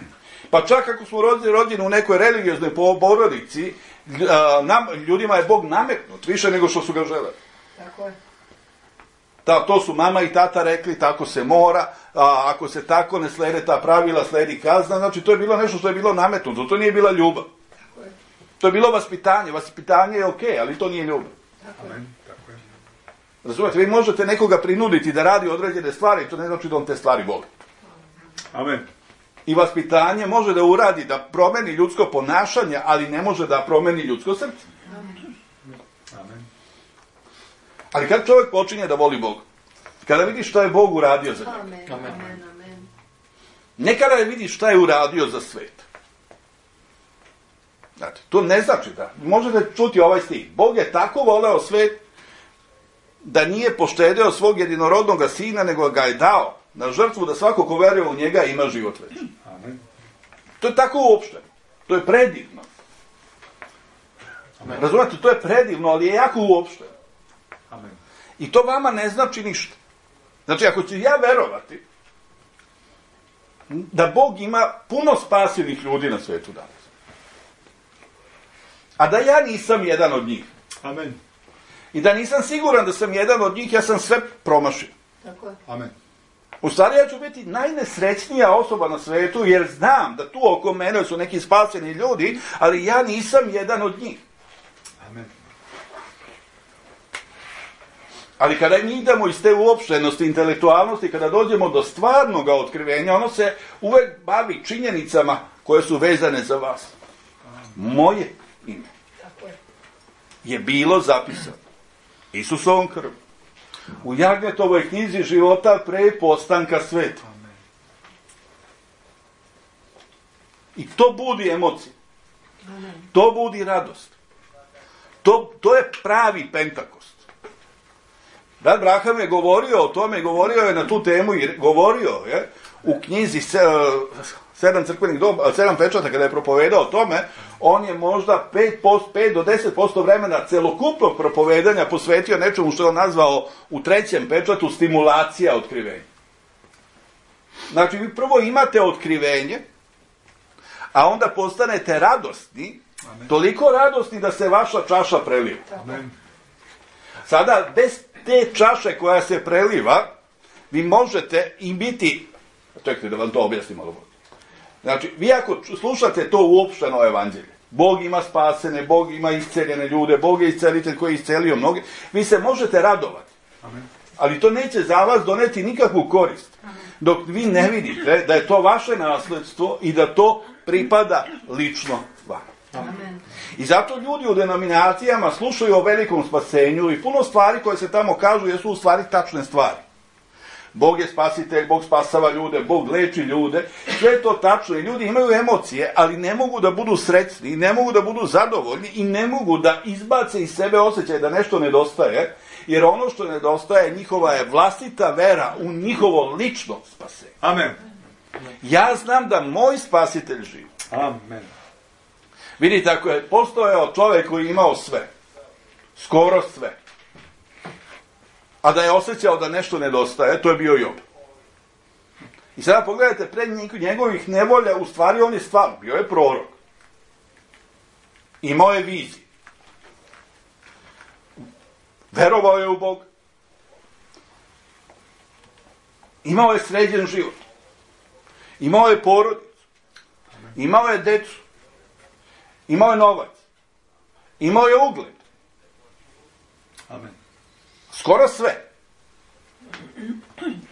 Pa čak ako smo rođeni u nekoj religioznoj porodici, ljudima je Bog nametnut više nego što su ga želeli. Tako je. To su mama i tata rekli, tako se mora, ako se tako ne slede ta pravila, sledi kazna, znači to je bilo nešto što je bilo nametnuto, to nije bila ljubav. Tako je. To je bilo vaspitanje, vaspitanje je okej, ali to nije ljubav. Amen. Tako je. Razumijete, vi možete nekoga prinuditi da radi određene stvari, to ne znači da on te stvari voli. Amen. I vaspitanje može da uradi, da promeni ljudsko ponašanje, ali ne može da promeni ljudsko srce. Amen. Ali kad čovjek počinje da voli Boga, kada vidi šta je Bog uradio za njega, Amen. ne kada vidi šta je uradio za svet. Znate, to ne znači da, možete čuti ovaj stih, Bog je tako voleo svet da nije poštedeo svog jedinorodnog sina, nego ga je dao na žrtvu da svako ko veruje u njega ima život večni. Amen. To je tako uopšteno. To je predivno. Amen. Razumete, to je predivno, ali je jako uopšteno. Amen. I to vama ne znači ništa. Znači, ako ću ja verovati da Bog ima puno spasilnih ljudi na svetu danas, a da ja nisam jedan od njih, Amen. i da nisam siguran da sam jedan od njih, ja sam sve promašio. Tako je. Amen. U stvari ja ću biti najnesrećnija osoba na svetu, jer znam da tu oko mene su neki spaseni ljudi, ali ja nisam jedan od njih. Amen. Ali kada mi idemo iz te uopštenosti, intelektualnosti, kada dođemo do stvarnog otkrivenja, ono se uvek bavi činjenicama koje su vezane za vas. Moje ime je bilo zapisano Isusovom krvom u Jagnetovoj knjizi života pre postanka sveta. I to budi emocije. To budi radost. To je pravi Pentakost. Brat Braham je govorio o tome, govorio je na tu temu i govorio je u knjizi 7 pečata, kada je propovedao o tome, on je možda 5 do 10% vremena celokupnog propovedanja posvetio nečemu što je on nazvao u 3. pečatu stimulacija otkrivenja. Znači, vi prvo imate otkrivenje, a onda postanete radosni, toliko radosni da se vaša čaša preliva. Amen. Sada, bez te čaše koja se preliva, vi možete i biti... Čekajte da vam to objasnim malo bolje. Znači, vi ako slušate to uopšteno evanđelje, Bog ima spasene, Bog ima isceljene ljude, Bog je iscelitelj koji je iscelio mnoge, vi se možete radovati. Amen. Ali to neće za vas doneti nikakvu korist. Dok vi ne vidite da je to vaše nasledstvo i da to pripada lično vama. Amen. I zato ljudi u denominacijama slušaju o velikom spasenju i puno stvari koje se tamo kažu jesu u stvari tačne stvari. Bog je spasitelj, Bog spasava ljude, Bog leči ljude, sve je to tačno i ljudi imaju emocije, ali ne mogu da budu srećni, ne mogu da budu zadovoljni i ne mogu da izbace iz sebe osjećaj da nešto nedostaje, jer ono što nedostaje njihova je vlastita vera u njihovo lično spasenje. Amen. Ja znam da moj spasitelj živi. Amen. Vidite, ako je postojao čovjek koji je imao sve, skoro sve, a da je osjećao da nešto nedostaje, to je bio Job. I sada pogledajte, pred njegovih nevolja, u stvari on je stvarno, bio je prorok. Imao je viziju. Verovao je u Bog. Imao je sređen život. Imao je porodicu. Imao je decu. Imao je novac. Imao je ugled. Amen. Skoro sve.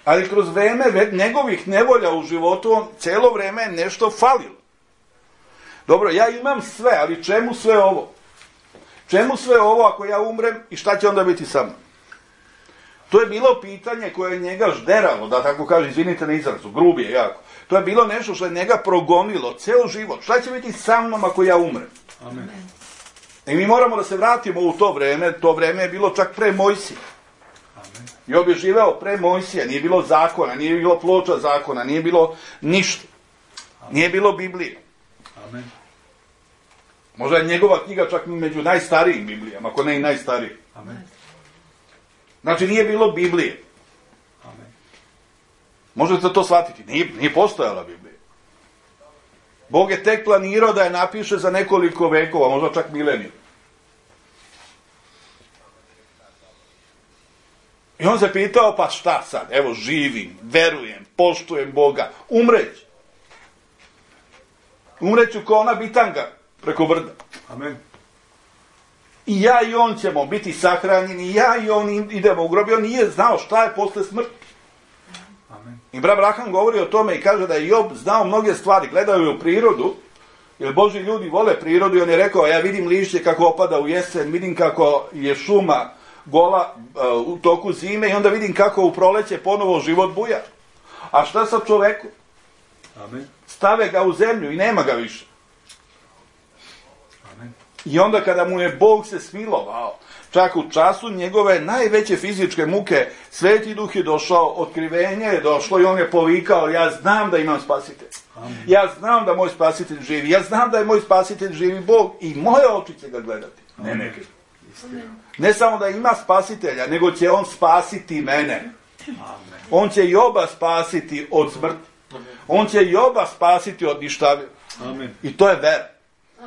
Ali kroz vreme njegovih nevolja u životu, on cijelo vreme je nešto falilo. Dobro, ja imam sve, ali čemu sve ovo? Čemu sve ovo ako ja umrem i šta će onda biti sa mnom? To je bilo pitanje koje je njega žderalo, da tako kaže, izvinite na izrazu, grubi je jako. To je bilo nešto što je njega progonilo, ceo život. Šta će biti sa mnom ako ja umrem? Amen. I mi moramo da se vratimo u to vreme je bilo čak pre Mojsija. Job je živeo pre Mojsija, nije bilo zakona, nije bilo ploča zakona, nije bilo ništa. Nije bilo Biblije. Amen. Možda je njegova knjiga čak među najstarijim Biblijama, ako ne i najstariji. Amen. Znači nije bilo Biblije. Amen. Možete to shvatiti, nije postojala Biblija. Bog je tek planirao da je napiše za nekoliko vekova, možda čak mileniju. I on se pitao, pa šta sad? Evo, živim, verujem, poštujem Boga, umreću. Umreću kao ona bitanga preko brda. Amen. I ja i on ćemo biti sahranjeni, i ja i on idemo u grob. I on nije znao šta je posle smrti. Amen. I brat Braham govori o tome i kaže da je Job znao mnoge stvari, gledao je u prirodu, jer Božji ljudi vole prirodu i on je rekao, ja vidim lišće kako opada u jesen, vidim kako je šuma gola u toku zime i onda vidim kako u proleće ponovo život buja. A šta sa čoveku? Amen. Stave ga u zemlju i nema ga više. Amen. I onda kada mu je Bog se smilovao, čak u času njegove najveće fizičke muke, Sveti Duh je došao, otkrivenje je došlo i on je povikao, ja znam da imam spasitelj. Amen. Ja znam da moj spasitelj živi. Ja znam da je moj spasitelj živi Bog i moje oči će ga gledati. Ne neki. Ne samo da ima spasitelja, nego će on spasiti mene. Amen. On će Joba spasiti od smrti. On će Joba spasiti od ništavila. Amen. I to je vera.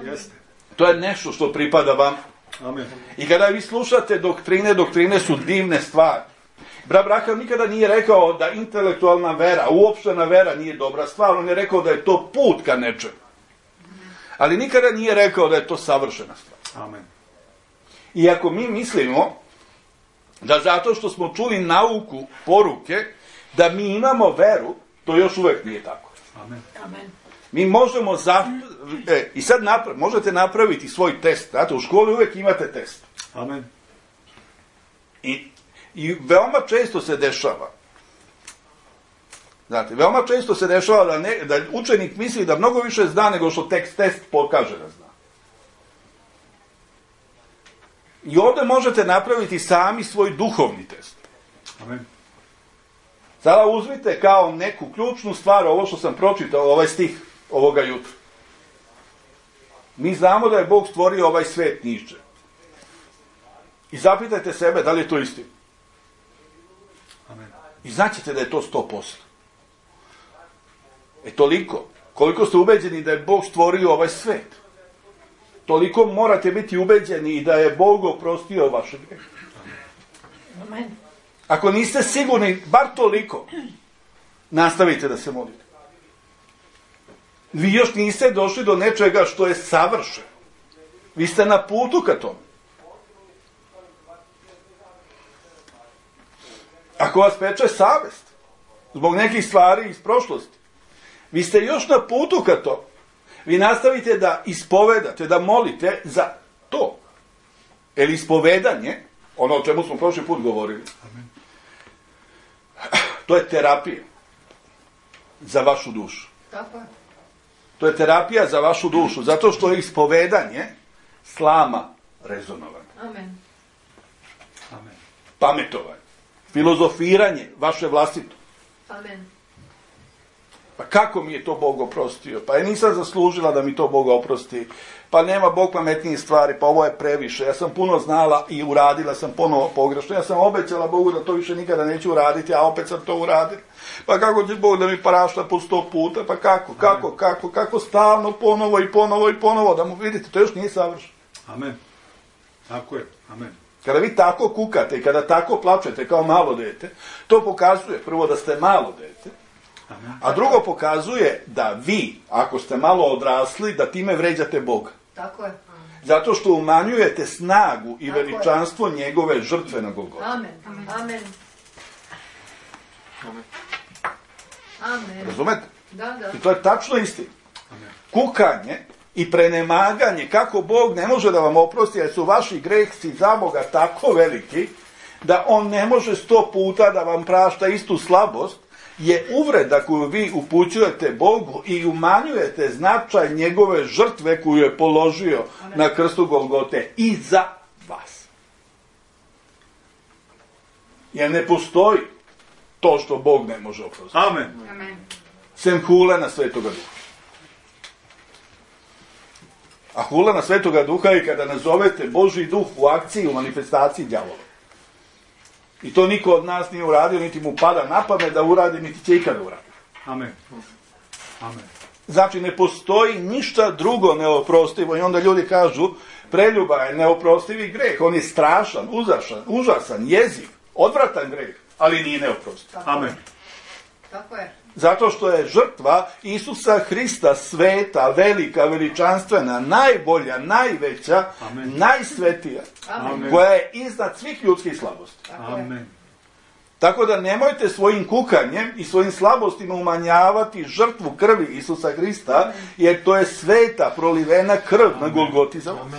Jeste. To je nešto što pripada vam. Amen. I kada vi slušate doktrine su divne stvari. Brat Braham nikada nije rekao da intelektualna vera, uopštena vera nije dobra stvar. On je rekao da je to put ka nečemu. Ali nikada nije rekao da je to savršena stvar. Amen. I ako mi mislimo da zato što smo čuli nauku, poruke, da mi imamo veru, to još uvek nije tako. Amen. Amen. Mi možemo i sad možete napraviti svoj test. Znate, u školi uvek imate test. Amen. I veoma često se dešava. Znate, veoma često se dešava da učenik misli da mnogo više zna nego što test pokaže da zna. I ovdje možete napraviti sami svoj duhovni test. Amen. Sada uzmite kao neku ključnu stvar ovo što sam pročitao, ovaj stih ovoga jutra. Mi znamo da je Bog stvorio ovaj svet niže. I zapitajte sebe da li je to istina. Amen. I znaćete da je to 100%. Toliko. Koliko ste ubeđeni da je Bog stvorio ovaj svet, toliko morate biti ubeđeni i da je Bog oprostio vaše grehe. Amen. Ako niste sigurni, bar toliko, nastavite da se molite. Vi još niste došli do nečega što je savršeno. Vi ste na putu ka tome. ako vas peče savest zbog nekih stvari iz prošlosti, vi ste još na putu ka to. Vi nastavite da ispovedate, da molite za to. Jer ispovedanje, ono o čemu smo prošli put govorili, to je terapija za vašu dušu. Tako je. To je terapija za vašu dušu, zato što je ispovedanje slama rezonovanje, Amen. Amen. pametovanje, filozofiranje vaše vlastito. Amen. Pa kako mi je to Bog oprostio? Pa ja nisam zaslužila da mi to Bog oprosti. Pa nema Bog pametnijih stvari, pa ovo je previše. Ja sam puno znala i uradila sam ponovo pogrešno. Ja sam obećala Bogu da to više nikada neću uraditi, a opet sam to uradila. Pa kako će Bog da mi prašta po 100 puta? Pa kako stalno ponovo, da mu vidite, to još nije savršeno. Amen. Tako je. Amen. Kada vi tako kukate i kada tako plačete kao malo dete, to pokazuje prvo da ste malo dete, a drugo pokazuje da vi, ako ste malo odrasli, da time vređate Boga. Tako je. Zato što umanjujete snagu i veličanstvo njegove žrtve na Golgoti. Amen. Amen. Amen. Razumete? Da. I to je tačno istina. Kukanje i prenemaganje, kako Bog ne može da vam oprosti, jer su vaši grehci za Boga tako veliki, da on ne može 100 puta da vam prašta istu slabost, je uvreda koju vi upućujete Bogu i umanjujete značaj njegove žrtve koju je položio na krstu Golgote i za vas. Jer ne postoji to što Bog ne može oprostiti. Amen. Amen. Sem hulena Svetoga Duha. A hulena Svetoga Duha je kada nazovete Božji duh u akciji, u manifestaciji đavola. I to niko od nas nije uradio, niti mu pada na pamet da uradi, niti će ikada uradi. Amen. Amen. Znači, ne postoji ništa drugo neoprostivo i onda ljudi kažu, preljuba je neoprostivi greh, on je strašan, užasan, jeziv, odvratan greh, ali nije neoprostiv. Amen. Tako je. Zato što je žrtva Isusa Hrista sveta, velika, veličanstvena, najbolja, najveća, Amen. najsvetija, Amen. koja je iznad svih ljudskih slabosti. Tako je. Amen. Tako da nemojte svojim kukanjem i svojim slabostima umanjavati žrtvu krvi Isusa Hrista, jer to je sveta prolivena krv na Golgoti za vas.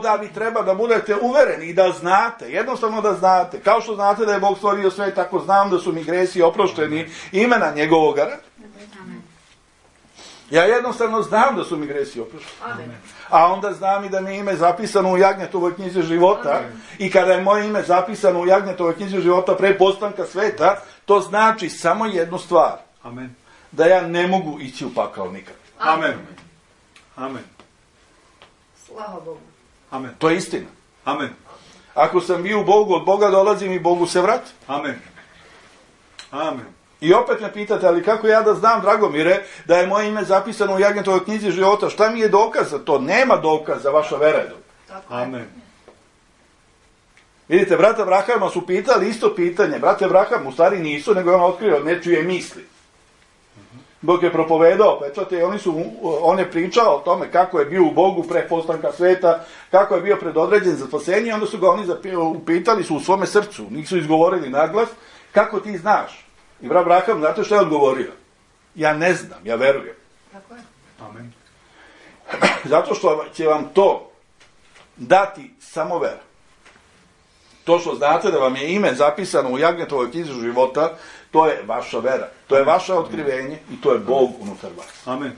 Da vi treba da budete uvereni i da znate, jednostavno da znate, kao što znate da je Bog stvorio sve, tako znam da su mi gresi oprošteni imena njegovoga rada. Ja jednostavno znam da su mi gresi oprošteni. Amen. A onda znam i da mi je ime zapisano u Jagnjetovoj knjizi života. I kada je moje ime zapisano u Jagnjetovoj knjizi života pre postanka sveta, to znači samo jednu stvar. Amen. Da ja ne mogu ići u pakao nikad. Amen. Amen. Slava Bogu. Amen. To je istina. Amen. Ako sam bio u Bogu, od Boga dolazim i Bogu se vratim. Amen. Amen. I opet me pitate, ali kako ja da znam, Dragomire, da je moje ime zapisano u Jagnjetovoj knjizi života? Šta mi je dokaz za to? Nema dokaza, vaša vera je dokaz. Tako je. Amen. Vidite, brata Abrahama su pitali isto pitanje. Brate Abraham u stvari nisu, nego je on otkrio nečije misli. Bog je propovedao pečate i on je pričao o tome kako je bio u Bogu pre postanka sveta, kako je bio predodređen za spasenje, onda su ga oni upitali su u svome srcu, nisu izgovorili naglas, kako ti znaš? I brat Abraham, znate što je odgovorio? Ja ne znam, ja verujem. Tako je. Amen. Zato što će vam to dati samo vera. To što znate da vam je ime zapisano u Jagnjetovoj knjizi života, to je vaša vera. To je vaše otkrivenje i to je Bog unutar vas. Amen.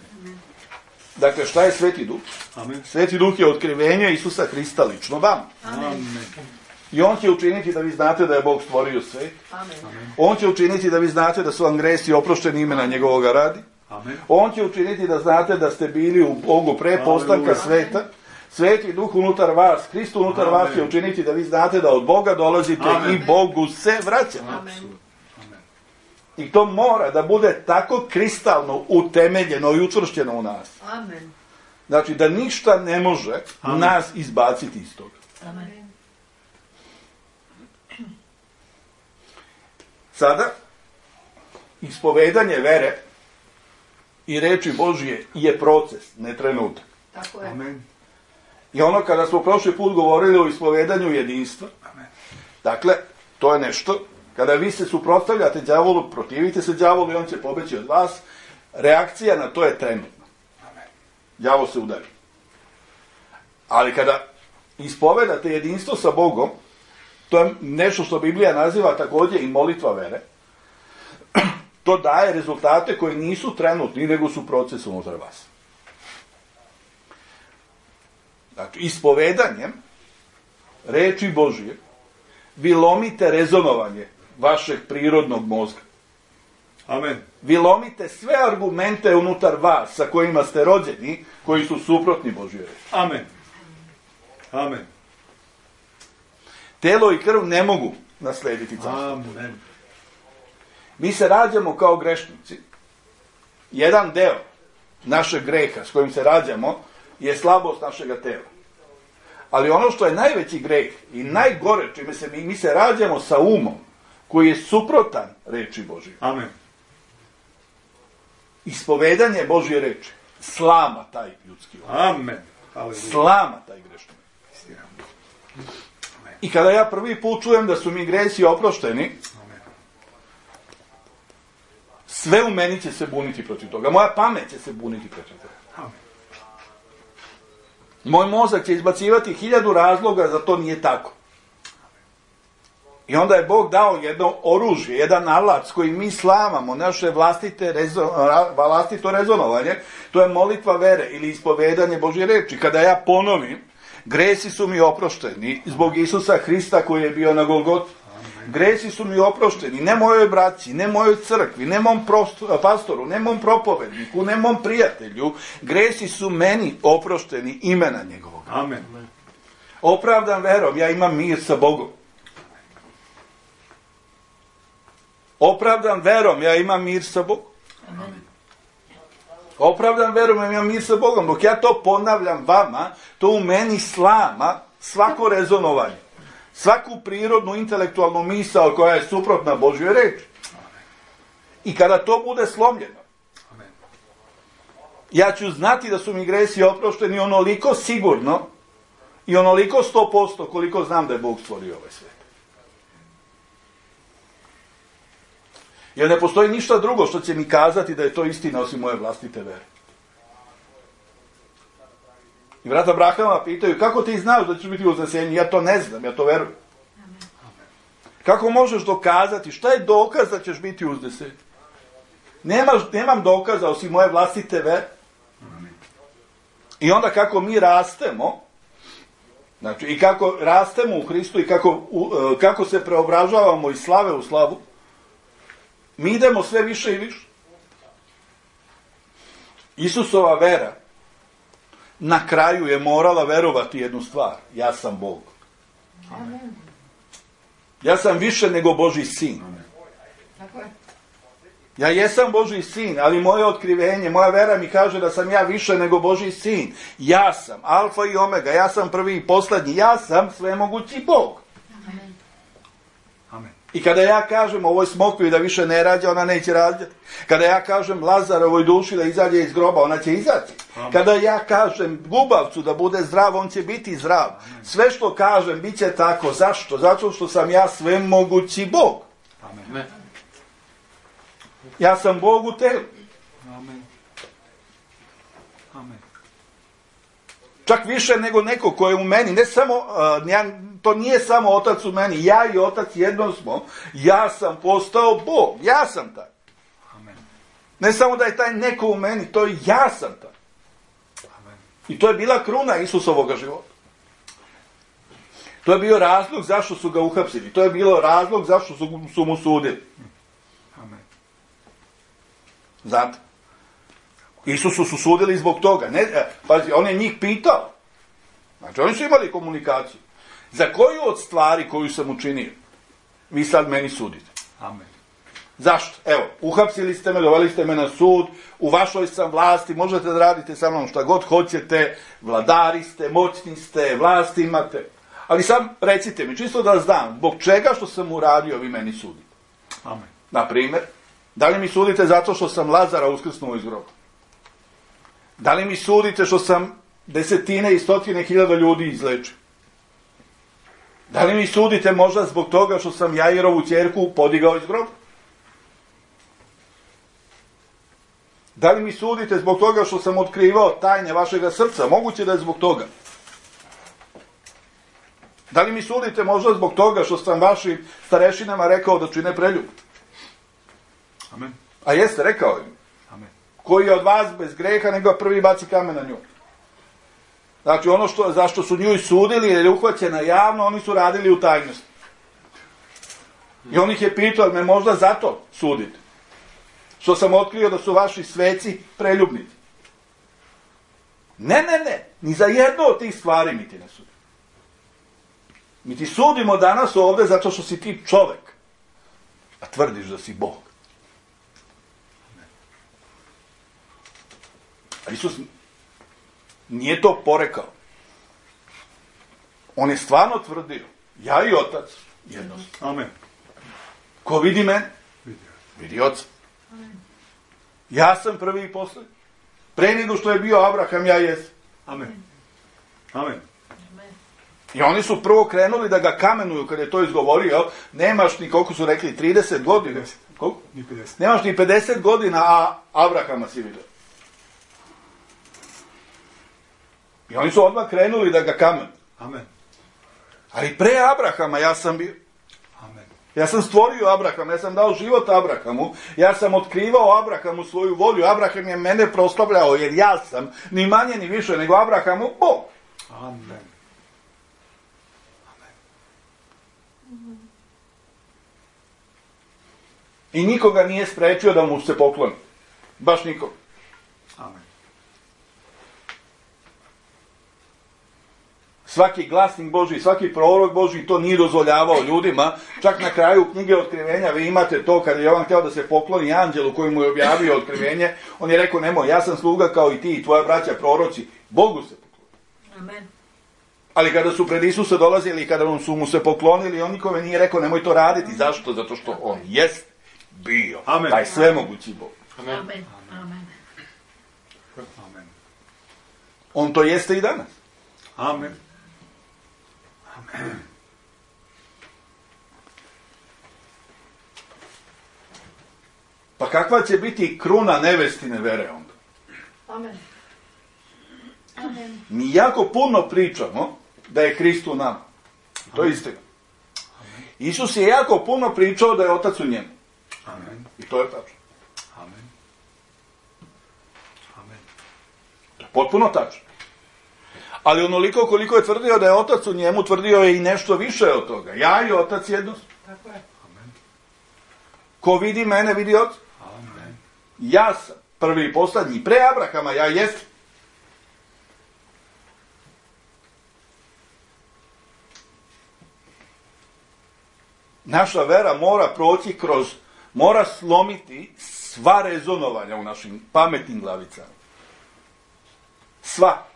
Dakle, šta je Sveti Duh? Amen. Sveti Duh je otkrivenje Isusa Hrista lično vam. Amen. I on će učiniti da vi znate da je Bog stvorio svet. Amen. On će učiniti da vi znate da su vam gresi oprošteni imena njegovoga radi. Amen. On će učiniti da znate da ste bili u Bogu pre postanka sveta. Sveti Duh unutar vas, Hrist unutar vas će učiniti da vi znate da od Boga dolazite i Bogu se vraćate. Amen. I to mora da bude tako kristalno utemeljeno i učvršćeno u nas. Amen. Znači da ništa ne može nas izbaciti iz toga. Amen. Sada, ispovedanje vere i reči Božije je proces, ne trenutak. Tako je. Amen. I ono kada smo prošli put govorili o ispovedanju jedinstva, dakle, to je nešto Kada vi se suprotstavljate đavolu, protivite se đavolu i on će pobeći od vas, reakcija na to je trenutna. Đavol se udari. Ali kada ispovedate jedinstvo sa Bogom, to je nešto što Biblija naziva također i molitva vere, to daje rezultate koji nisu trenutni, nego su proces unutar vas. Znači, ispovedanjem reči Božije vi lomite rezonovanje vašeg prirodnog mozga. Amen. Vi lomite sve argumente unutar vas sa kojima ste rođeni, koji su suprotni Božjoj reči. Amen. Amen. Telo i krv ne mogu naslediti carstvo. Amen. Mi se rađamo kao grešnici. Jedan deo našeg greha s kojim se rađamo je slabost našega tela. Ali ono što je najveći greh i najgore, čime se mi se rađamo sa umom koji je suprotan reči Božje. Amen. Ispovedanje Božje reči slama taj ljudski um. Amen. Slama taj grešni. I kada ja prvi put čujem da su mi gresi oprošteni, sve u meni će se buniti protiv toga. Moja pamet će se buniti protiv toga. Moj mozak će izbacivati 1000 razloga za to nije tako. I onda je Bog dao jedno oružje, jedan alat s kojim mi slamamo naše vlastito rezonovanje, to je molitva vere ili ispovedanje Božje reči. Kada ja ponovim, gresi su mi oprošteni zbog Isusa Hrista koji je bio na Golgoti. Gresi su mi oprošteni, ne mojoj braći, ne mojoj crkvi, ne mom pastoru, ne mom propovedniku, ne mom prijatelju. Gresi su meni oprošteni imena njegovog. Amen. Opravdan verom, ja imam mir sa Bogom. Opravdan verom, ja imam mir sa Bogom. Opravdan verom, ja imam mir sa Bogom. Dok ja to ponavljam vama, to u meni slama svako rezonovanje. Svaku prirodnu, intelektualnu misao koja je suprotna Božjoj reči. I kada to bude slomljeno, ja ću znati da su mi gresi oprošteni onoliko sigurno i onoliko 100% koliko znam da je Bog stvorio ovaj svijet. Jer ne postoji ništa drugo što će mi kazati da je to istina osim moje vlastite vere. I brata Abrahama pitaju, kako ti znaš da ćeš biti uznesenje? Ja to ne znam, ja to verujem. Kako možeš dokazati? Šta je dokaz da ćeš biti uznesen? Nemam dokaza osim moje vlastite vere. I onda kako mi rastemo, znači i kako rastemo u Hristu i kako se preobražavamo iz slave u slavu, mi idemo sve više i više. Isusova vera na kraju je morala verovati jednu stvar. Ja sam Bog. Amen. Ja sam više nego Božji sin. Tako je. Ja jesam Božji sin, ali moje otkrivenje, moja vera mi kaže da sam ja više nego Božji sin. Ja sam alfa i omega, ja sam prvi i posljednji, ja sam svemogući Bog. Amen. Amen. I kada ja kažem ovoj smokvi da više ne rađa, ona neće rađati. Kada ja kažem Lazarovoj duši da izađe iz groba, ona će izaći. Amen. Kada ja kažem gubavcu da bude zdrav, on će biti zdrav. Amen. Sve što kažem bit će tako. Zašto? Zato što sam ja svemogući Bog. Amen. Ja sam Bog u telu. Amen. Amen. Čak više nego neko ko je u meni. Ne samo, to nije samo otac u meni. Ja i otac jedno smo. Ja sam postao Bog. Ja sam taj. Amen. Ne samo da je taj neko u meni, to je ja sam taj. Amen. I to je bila kruna Isusovoga života. To je bio razlog zašto su ga uhapsili. To je bilo razlog zašto su mu sudili. Amen. Znate? Isusu su sudili zbog toga. Pazi, on je njih pitao. Znači, oni su imali komunikaciju. Za koju od stvari koju sam učinio, vi sad meni sudite? Amen. Zašto? Evo, uhapsili ste me, doveli ste me na sud, u vašoj sam vlasti, možete da radite sa mnom šta god hoćete, vladari ste, moćni ste, vlast imate. Ali sam recite mi, čisto da znam, zbog čega što sam uradio, vi meni sudite? Amen. Na primjer, da li mi sudite zato što sam Lazara uskrsnuo iz groba? Da li mi sudite što sam desetine i stotine hiljada ljudi izlečio? Da li mi sudite možda zbog toga što sam Jairovu ćerku podigao iz groba? Da li mi sudite zbog toga što sam otkrivao tajne vašega srca? Moguće da je zbog toga. Da li mi sudite možda zbog toga što sam vašim starešinama rekao da čine preljub? Amen. A jeste, rekao im. Amen. Koji je od vas bez greha, nego prvi baci kamen na nju. Znači, ono zašto su nju i sudili, jer je uhvaćena javno, oni su radili u tajnosti. I on ih je pitao, me možda zato sudite. Što sam otkrio da su vaši sveci preljubnici. Ne, ni za jedno od tih stvari mi ti ne sudimo. Mi ti sudimo danas ovde zato što si ti čovek, a tvrdiš da si Bog. A Isus nije to porekao. On je stvarno tvrdio, ja i Otac jedno smo. Amen. Ko vidi mene, Vidio. vidi Oca. Ja sam prvi i poslednji. Pre nego što je bio Abraham, ja jesam. Amen. Amen. I oni su prvo krenuli da ga kamenuju kad je to izgovorio. Nemaš ni, koliko su rekli, 30 godina. 50. Koliko? Ni 50. Nemaš ni 50 godina, a Abrahama si vidio. I oni su odmah krenuli da ga kamenuju. Amen. Ali pre Abrahama ja sam bio. Amen. Ja sam stvorio Abrahama, ja sam dao život Abrahamu, ja sam otkrivao Abrahamu svoju volju. Abraham je mene proslavljao jer ja sam ni manje ni više nego Abrahamu Bog. Amen. I nikoga nije sprečio da mu se pokloni. Baš nikoga. Amen. Svaki glasnik Božji, svaki prorok Božji to nije dozvoljavao ljudima. Čak na kraju knjige Otkrivenja vi imate to kad je Jovan htio da se pokloni anđelu koji mu je objavio Otkrivenje. On je rekao, nemoj, ja sam sluga kao i ti i tvoja braća proroci. Bogu se pokloni. Amen. Ali kada su pred Isusa dolazili i kada su mu se poklonili, on nikome nije rekao, nemoj to raditi. Zašto? Zato što on jest bio. Amen. Taj svemogući Bog. Amen. Amen. Amen. On to jeste i danas. Amen. Pa kakva će biti kruna nevestine vere onda? Amen. Amen. Mi jako puno pričamo da je Hrist u nama. To je istina. Isus je jako puno pričao da je Otac u njemu. Amen. I to je tačno. Amen. Amen. To je potpuno tačno. Ali onoliko koliko je tvrdio da je Otac u njemu, tvrdio je i nešto više od toga. Ja i Otac jedno smo. Tako je. Amen. Ko vidi mene, vidi Oca. Amen. Ja sam prvi i poslednji. Pre Abrahama ja jesam. Naša vera mora proći mora slomiti sva rezonovanja u našim pametnim glavicama. Sva.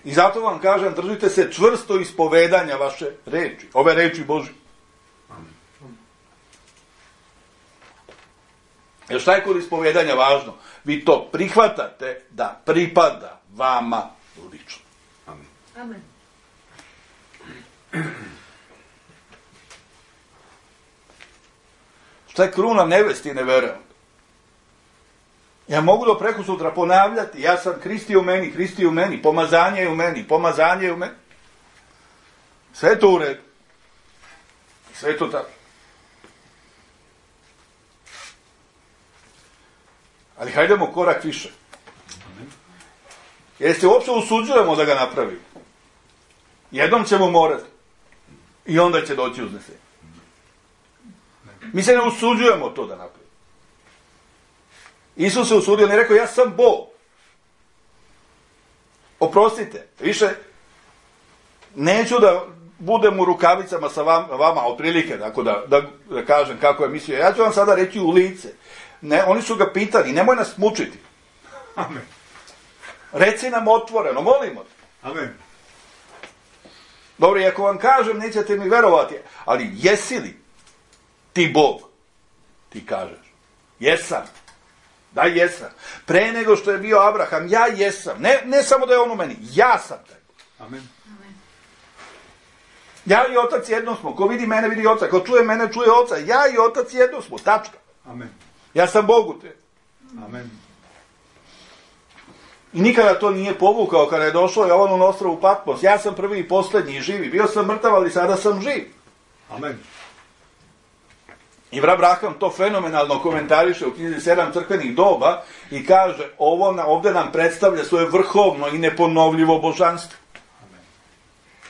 I zato vam kažem, držite se čvrsto ispovedanja vaše reči, ove reči Božje. Jer šta je kod ispovedanja važno? Vi to prihvatate da pripada vama lično. Amen. Amen. Šta je kruna nevestine vere? Ja mogu do preko sutra ponavljati, ja sam Hrist je u meni, Hrist je u meni, pomazanje je u meni, pomazanje je u meni. Sve je to u redu. Sve je to tako. Ali hajdemo korak više. Jer se uopće usuđujemo da ga napravimo. Jednom ćemo morati. I onda će doći uznesenje. Mi se ne usuđujemo to da napravimo. Isus se usudio, on je rekao, ja sam Bog. Oprostite, više neću da budem u rukavicama sa vama otprilike, tako da kažem kako je mislio. Ja ću vam sada reći u lice. Ne, oni su ga pitali, nemoj nas mučiti. Amen. Reci nam otvoreno, molimo te. Amen. Dobro, i ako vam kažem, nećete mi verovati, ali jesi li ti Bog? Ti kažeš, jesam. Da, jesam. Pre nego što je bio Abraham, ja jesam. Ne samo da je on u meni, ja sam taj. Amen. Ja i otac jedno smo. Ko vidi mene, vidi oca. Ko čuje mene, čuje oca. Ja i otac jedno smo. Tačka. Amen. Ja sam Bog u tebi. Amen. I nikada to nije povukao kada je došao Jovan u ostrvu Patmos. Ja sam prvi i posljednji i živi. Bio sam mrtav, ali sada sam živ. Amen. I Abraham to fenomenalno komentariše u knjizi 7 crkvenih doba i kaže, ovdje nam predstavlja svoje vrhovno i neponovljivo božanstvo.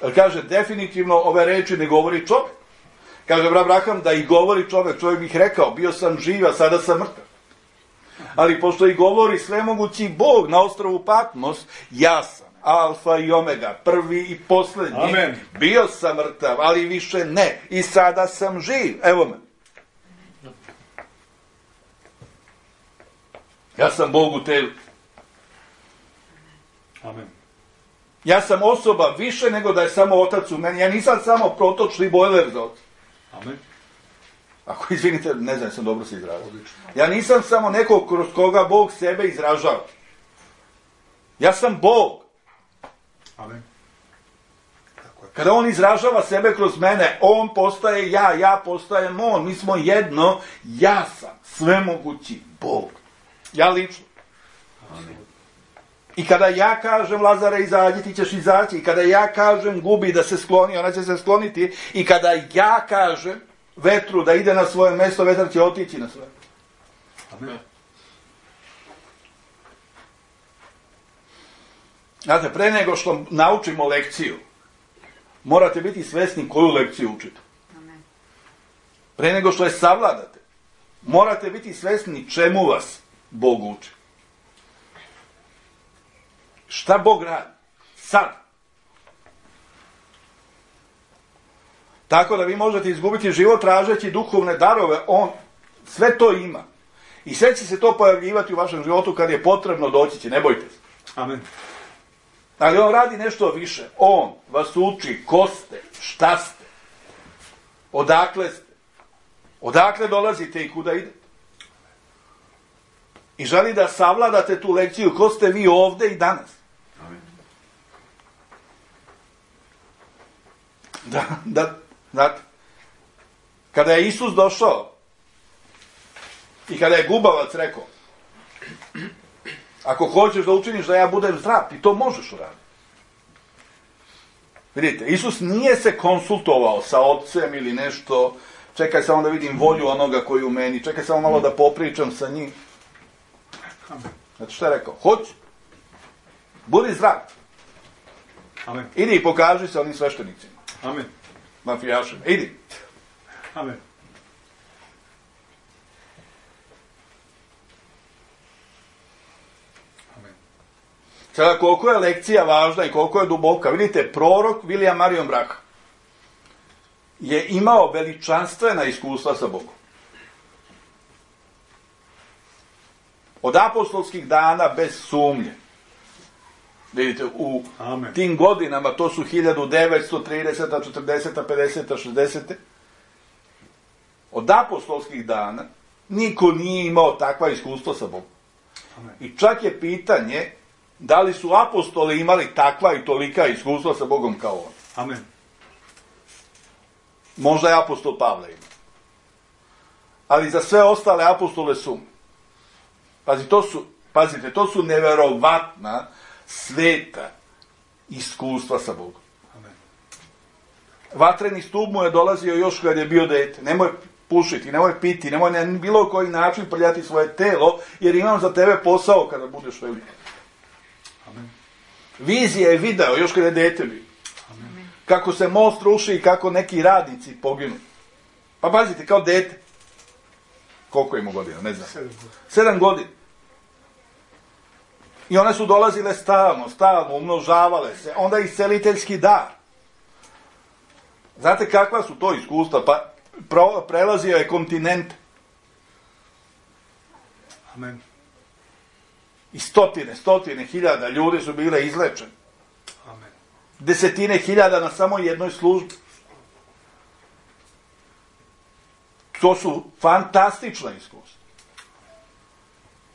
Jer kaže, definitivno ove reči ne govori čovjek. Kaže Abraham da i govori čovjek bih rekao, bio sam živ, a sada sam mrtav. Ali pošto i govori svemogući Bog na ostrvu Patmos, ja sam alfa i omega, prvi i posljednji. Amen. Bio sam mrtav, ali više ne. I sada sam živ. Evo me. Ja sam Bog u tebi. Amen. Ja sam osoba više nego da je samo otac u meni. Ja nisam samo protočni bojler za otac. Amen. Ako izvinite, ne znam, sam dobro se izrazio. Ja nisam samo neko kroz koga Bog sebe izražava. Ja sam Bog. Amen. Tako je. Kada on izražava sebe kroz mene, on postaje ja postajem on. Mi smo jedno, ja sam svemogući Bog. Ja lično. Amen. I kada ja kažem Lazare izađi, ti ćeš izaći. I kada ja kažem gubi da se skloni, ona će se skloniti. I kada ja kažem vetru da ide na svoje mjesto, vetar će otići na svoje. Amen. Znate, pre nego što naučimo lekciju, morate biti svesni koju lekciju učite. Pre nego što je savladate, morate biti svesni čemu vas Bog uči. Šta Bog radi? Sad. Tako da vi možete izgubiti život tražeći duhovne darove, on sve to ima. I sve će se to pojavljivati u vašem životu kad je potrebno doći će, ne bojte se. Amen. Ali on radi nešto više. On vas uči ko ste, šta ste, odakle ste, odakle dolazite i kuda idete. I želi da savladate tu lekciju ko ste vi ovdje i danas. Amen. Znate, kada je Isus došao i kada je gubavac rekao, ako hoćeš da učiniš da ja budem zdrav, ti to možeš uraditi. Vidite, Isus nije se konsultovao sa ocem ili nešto, čekaj samo da vidim volju onoga koji u meni, čekaj samo malo da popričam sa njim. Znači što je rekao? Hoću. Budi zdrav. Amen. Idi i pokaži se onim sveštenicima. Amen. Mafijašima. Idi. Amen. Amen. Sada koliko je lekcija važna i koliko je duboka. Vidite, prorok William Marion Branham je imao veličanstvena iskustva sa Bogom. Od apostolskih dana bez sumnje. Vidite, u Amen. tim godinama, to su 1930, 40, 50, 60. Od apostolskih dana niko nije imao takva iskustva sa Bogom. Amen. I čak je pitanje da li su apostoli imali takva i tolika iskustva sa Bogom kao on. Amen. Možda je apostol Pavle imao. Ali za sve ostale apostole sumnje. Pazite, to su neverovatna, sveta iskustva sa Bogom. Amen. Vatreni stup mu je dolazio još kad je bio dete. Nemoj pušiti, nemoj piti, nemoj na bilo koji način prljati svoje telo, jer imam za tebe posao kada budeš velik. Amen. Vizija je video još kad je dete bio. Amen. Kako se most ruši i kako neki radnici poginu. Pa pazite, kao dete. Koliko ima godina, ne znam. 7 godina. I one su dolazile stalno, umnožavale se. Onda isceliteljski dar. Znate kakva su to iskustva? Pa prelazio je kontinent. Amen. I stotine hiljada ljudi su bile izlečeni. Amen. Desetine hiljada na samo jednoj službi. To su fantastična iskustva.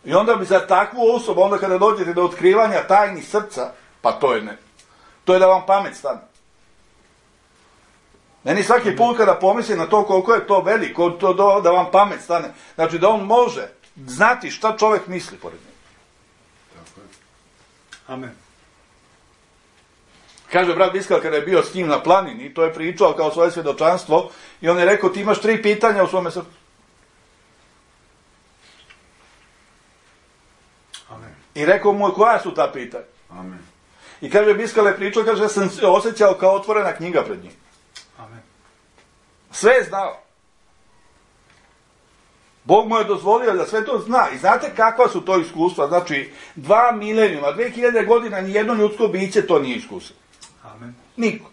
I onda bi za takvu osobu, onda kada dođete do otkrivanja tajni srca, pa to je ne. To je da vam pamet stane. Meni svaki put kada pomislim na to koliko je to veliko, da vam pamet stane. Znači da on može znati šta čovjek misli pored njega. Amen. Kaže brat Biskal kada je bio s njim na planini, to je pričao kao svoje svjedočanstvo, i on je rekao, ti imaš 3 pitanja u svome srcu. Amen. I rekao mu, koja su ta pitanja? Amen. I kaže, Biskal je pričao, kaže, ja sam se osjećao kao otvorena knjiga pred njim. Amen. Sve je znao. Bog mu je dozvolio da sve to zna. I znate kakva su to iskustva? Znači, 2 milenijuma, 2000 godina, nijedno ljudsko biće to nije iskusilo. Amen. Niko.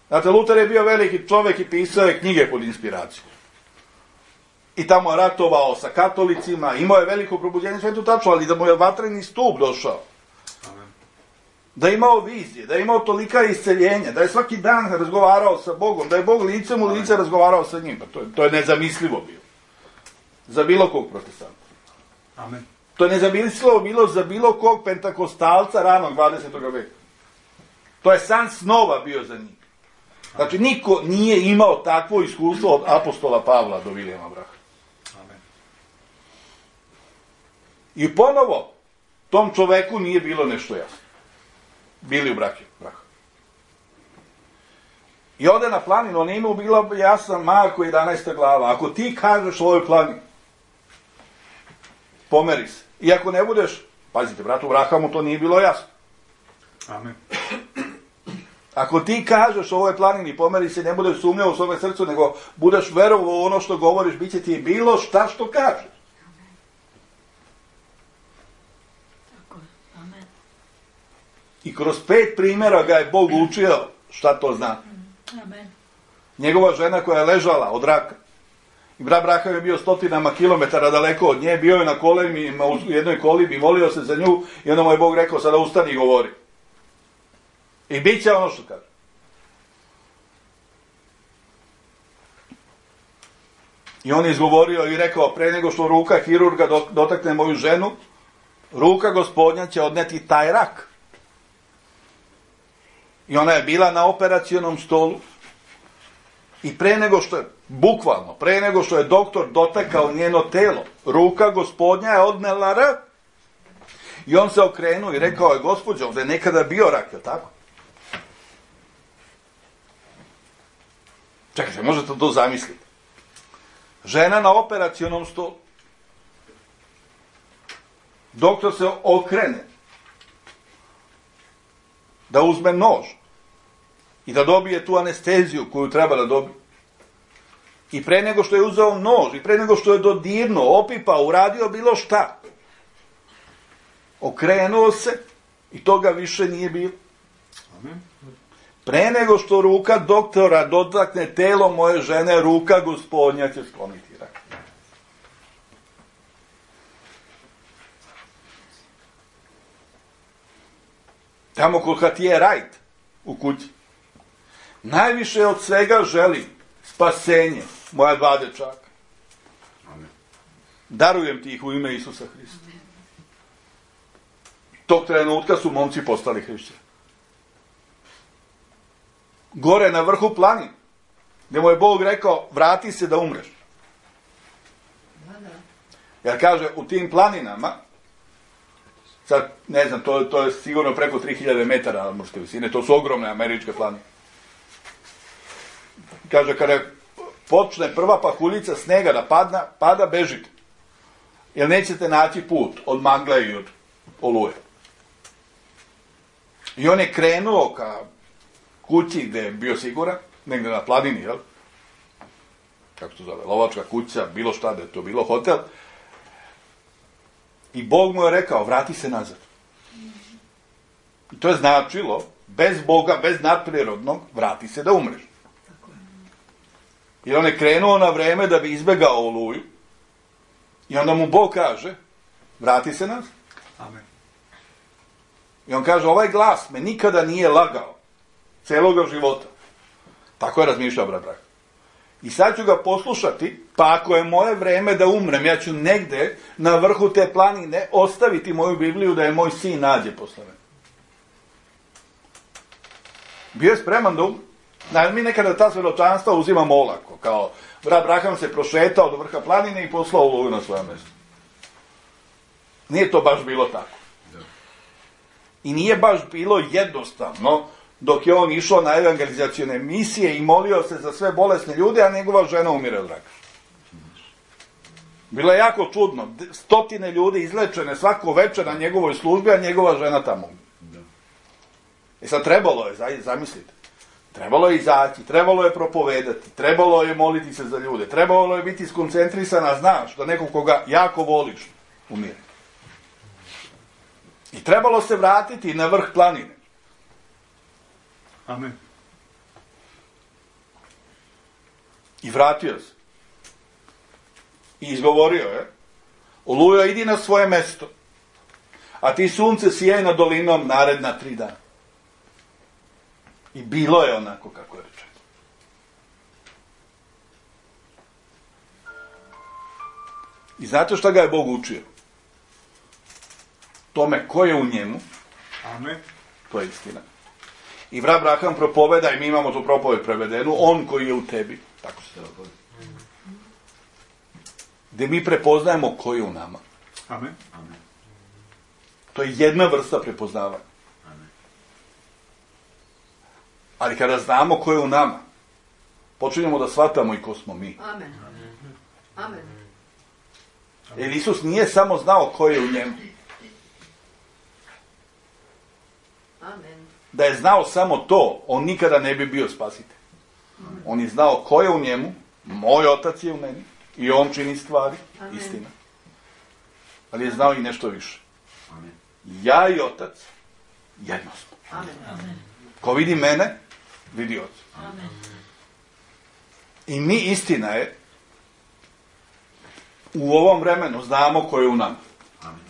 Znate, Luter je bio veliki čovjek i pisao je knjige pod inspiracijom. I tamo je ratovao sa katolicima, imao je veliko probudjenje, sve to tačno, ali da mu je vatreni stup došao. Amen. Da je imao vizije, da je imao tolika isceljenja, da je svaki dan razgovarao sa Bogom, da je Bog licem u lice razgovarao sa njim. To je nezamislivo bilo. Za bilo kog protestanta. Amen. To je nezamislivo bilo za bilo kog pentakostalca ranog 20. veka. To je san snova bio za njih. Znači, niko nije imao takvo iskustvo od apostola Pavla do Vilijama Braha. Amen. I ponovo, tom čoveku nije bilo nešto jasno. Bili u Braha. I ode na planinu, on imao bila jasna Marko 11. glava. Ako ti kažeš ovoj planini, pomeri se. I ako ne budeš, pazite, bratu Brahamu to nije bilo jasno. Amen. Ako ti kažeš ovoj planini, pomeri se, ne budeš sumnjao u svome srcu, nego budeš verovao u ono što govoriš, bit će ti bilo šta što kažeš. Amen. I kroz 5 primjera ga je Bog učio šta to zna. Amen. Njegova žena koja je ležala od raka. I brat Braham je bio stotinama kilometara daleko od nje, bio je na kolenima u jednoj kolibi, molio se za nju i onda mu je Bog rekao, sada ustani i govori. I bit će ono što kaže. I on je izgovorio i rekao, pre nego što ruka hirurga dotakne moju ženu, ruka Gospodnja će odneti taj rak. I ona je bila na operacionom stolu. I pre nego što je, bukvalno, pre nego što je doktor dotakao njeno telo, ruka Gospodnja je odnela rak. I on se okrenuo i rekao je, Gospođo, ovdje je nekada bio rak, je li tako? Čekajte, možete to zamisliti. Žena na operacionom stolu. Doktor se okrene da uzme nož i da dobije tu anesteziju koju treba da dobije. I pre nego što je uzeo nož, i pre nego što je dodirnuo, opipao, uradio bilo šta, okrenuo se i toga više nije bilo. Amen. Pre nego što ruka doktora dotakne telo moje žene, ruka Gospodnja će skloniti rak. Tamo kod Hatije Rajt u kući. Najviše od svega želim spasenje moja 2 dečaka. Amen. Darujem ti ih u ime Isusa Hrista. Tog trenutka su momci postali hrišćani. Gore na vrhu planine, gdje mu je Bog rekao, vrati se da umreš. Jer kaže, u tim planinama, sad, ne znam, to je sigurno preko 3000 metara nadmorske visine, to su ogromne američke planine. Kaže, kada počne prva pahuljica snega da pada, bežite. Jer nećete naći put od magle i od oluje. I on je krenuo ka kući gde je bio siguran, negde na planini, jel? Kako to zove, lovačka kuća, bilo šta, da je to bilo hotel. I Bog mu je rekao, vrati se nazad. I to je značilo, bez Boga, bez nadprirodnog, vrati se da umreš. I on je krenuo na vreme da bi izbegao oluju. I onda mu Bog kaže, vrati se nazad. Amen. I on kaže, ovaj glas me nikada nije lagao. Celoga života. Tako je razmišljao brat Braham. I sad ću ga poslušati, pa ako je moje vreme da umrem, ja ću negde na vrhu te planine ostaviti moju Bibliju da je moj sin nađe posle mene. Bio je spreman da umre. Mi nekada ta svjedočanstva uzimamo olako, kao Abraham se prošetao do vrha planine i poslao Oluju na svoje mjesto. Nije to baš bilo tako. I nije baš bilo jednostavno dok je on išao na evangelizacione misije i molio se za sve bolesne ljude, a njegova žena umire od raka. Bilo je jako čudno. 100 ljudi izlečene svako večer na njegovoj službi, a njegova žena tamo. I sad trebalo je, zamislite, trebalo je izaći, trebalo je propovedati, trebalo je moliti se za ljude, trebalo je biti skoncentrisana, znaš, da nekog koga jako voliš umire. I trebalo se vratiti na vrh planine. Amen. I vratio se. I izgovorio je, Olujo, idi na svoje mesto, a ti sunce sijaj nad dolinom naredna 3 dana. I bilo je onako kako je rečeno. I znate šta ga je Bog učio? Tome ko je u njemu, Amen. to je istina. I Abraham propoveda, i mi imamo tu propoved prevedenu, on koji je u tebi, tako se treba povedati. Gdje mi prepoznajemo ko je u nama. Amen. Amen. To je jedna vrsta prepoznavanja. Amen. Ali kada znamo ko je u nama, počinjemo da shvatamo i ko smo mi. Amen. Amen. Jer Isus nije samo znao ko je u njemu. Amen. Da je znao samo to, on nikada ne bi bio spasitelj. On je znao ko je u njemu, moj otac je u meni, i on čini stvari, Amen. istina. Ali je znao i nešto više. Amen. Ja i otac, jedno smo. Amen. Amen. Ko vidi mene, vidi oca. Amen. I mi, istina je, u ovom vremenu znamo ko je u nama. Amen.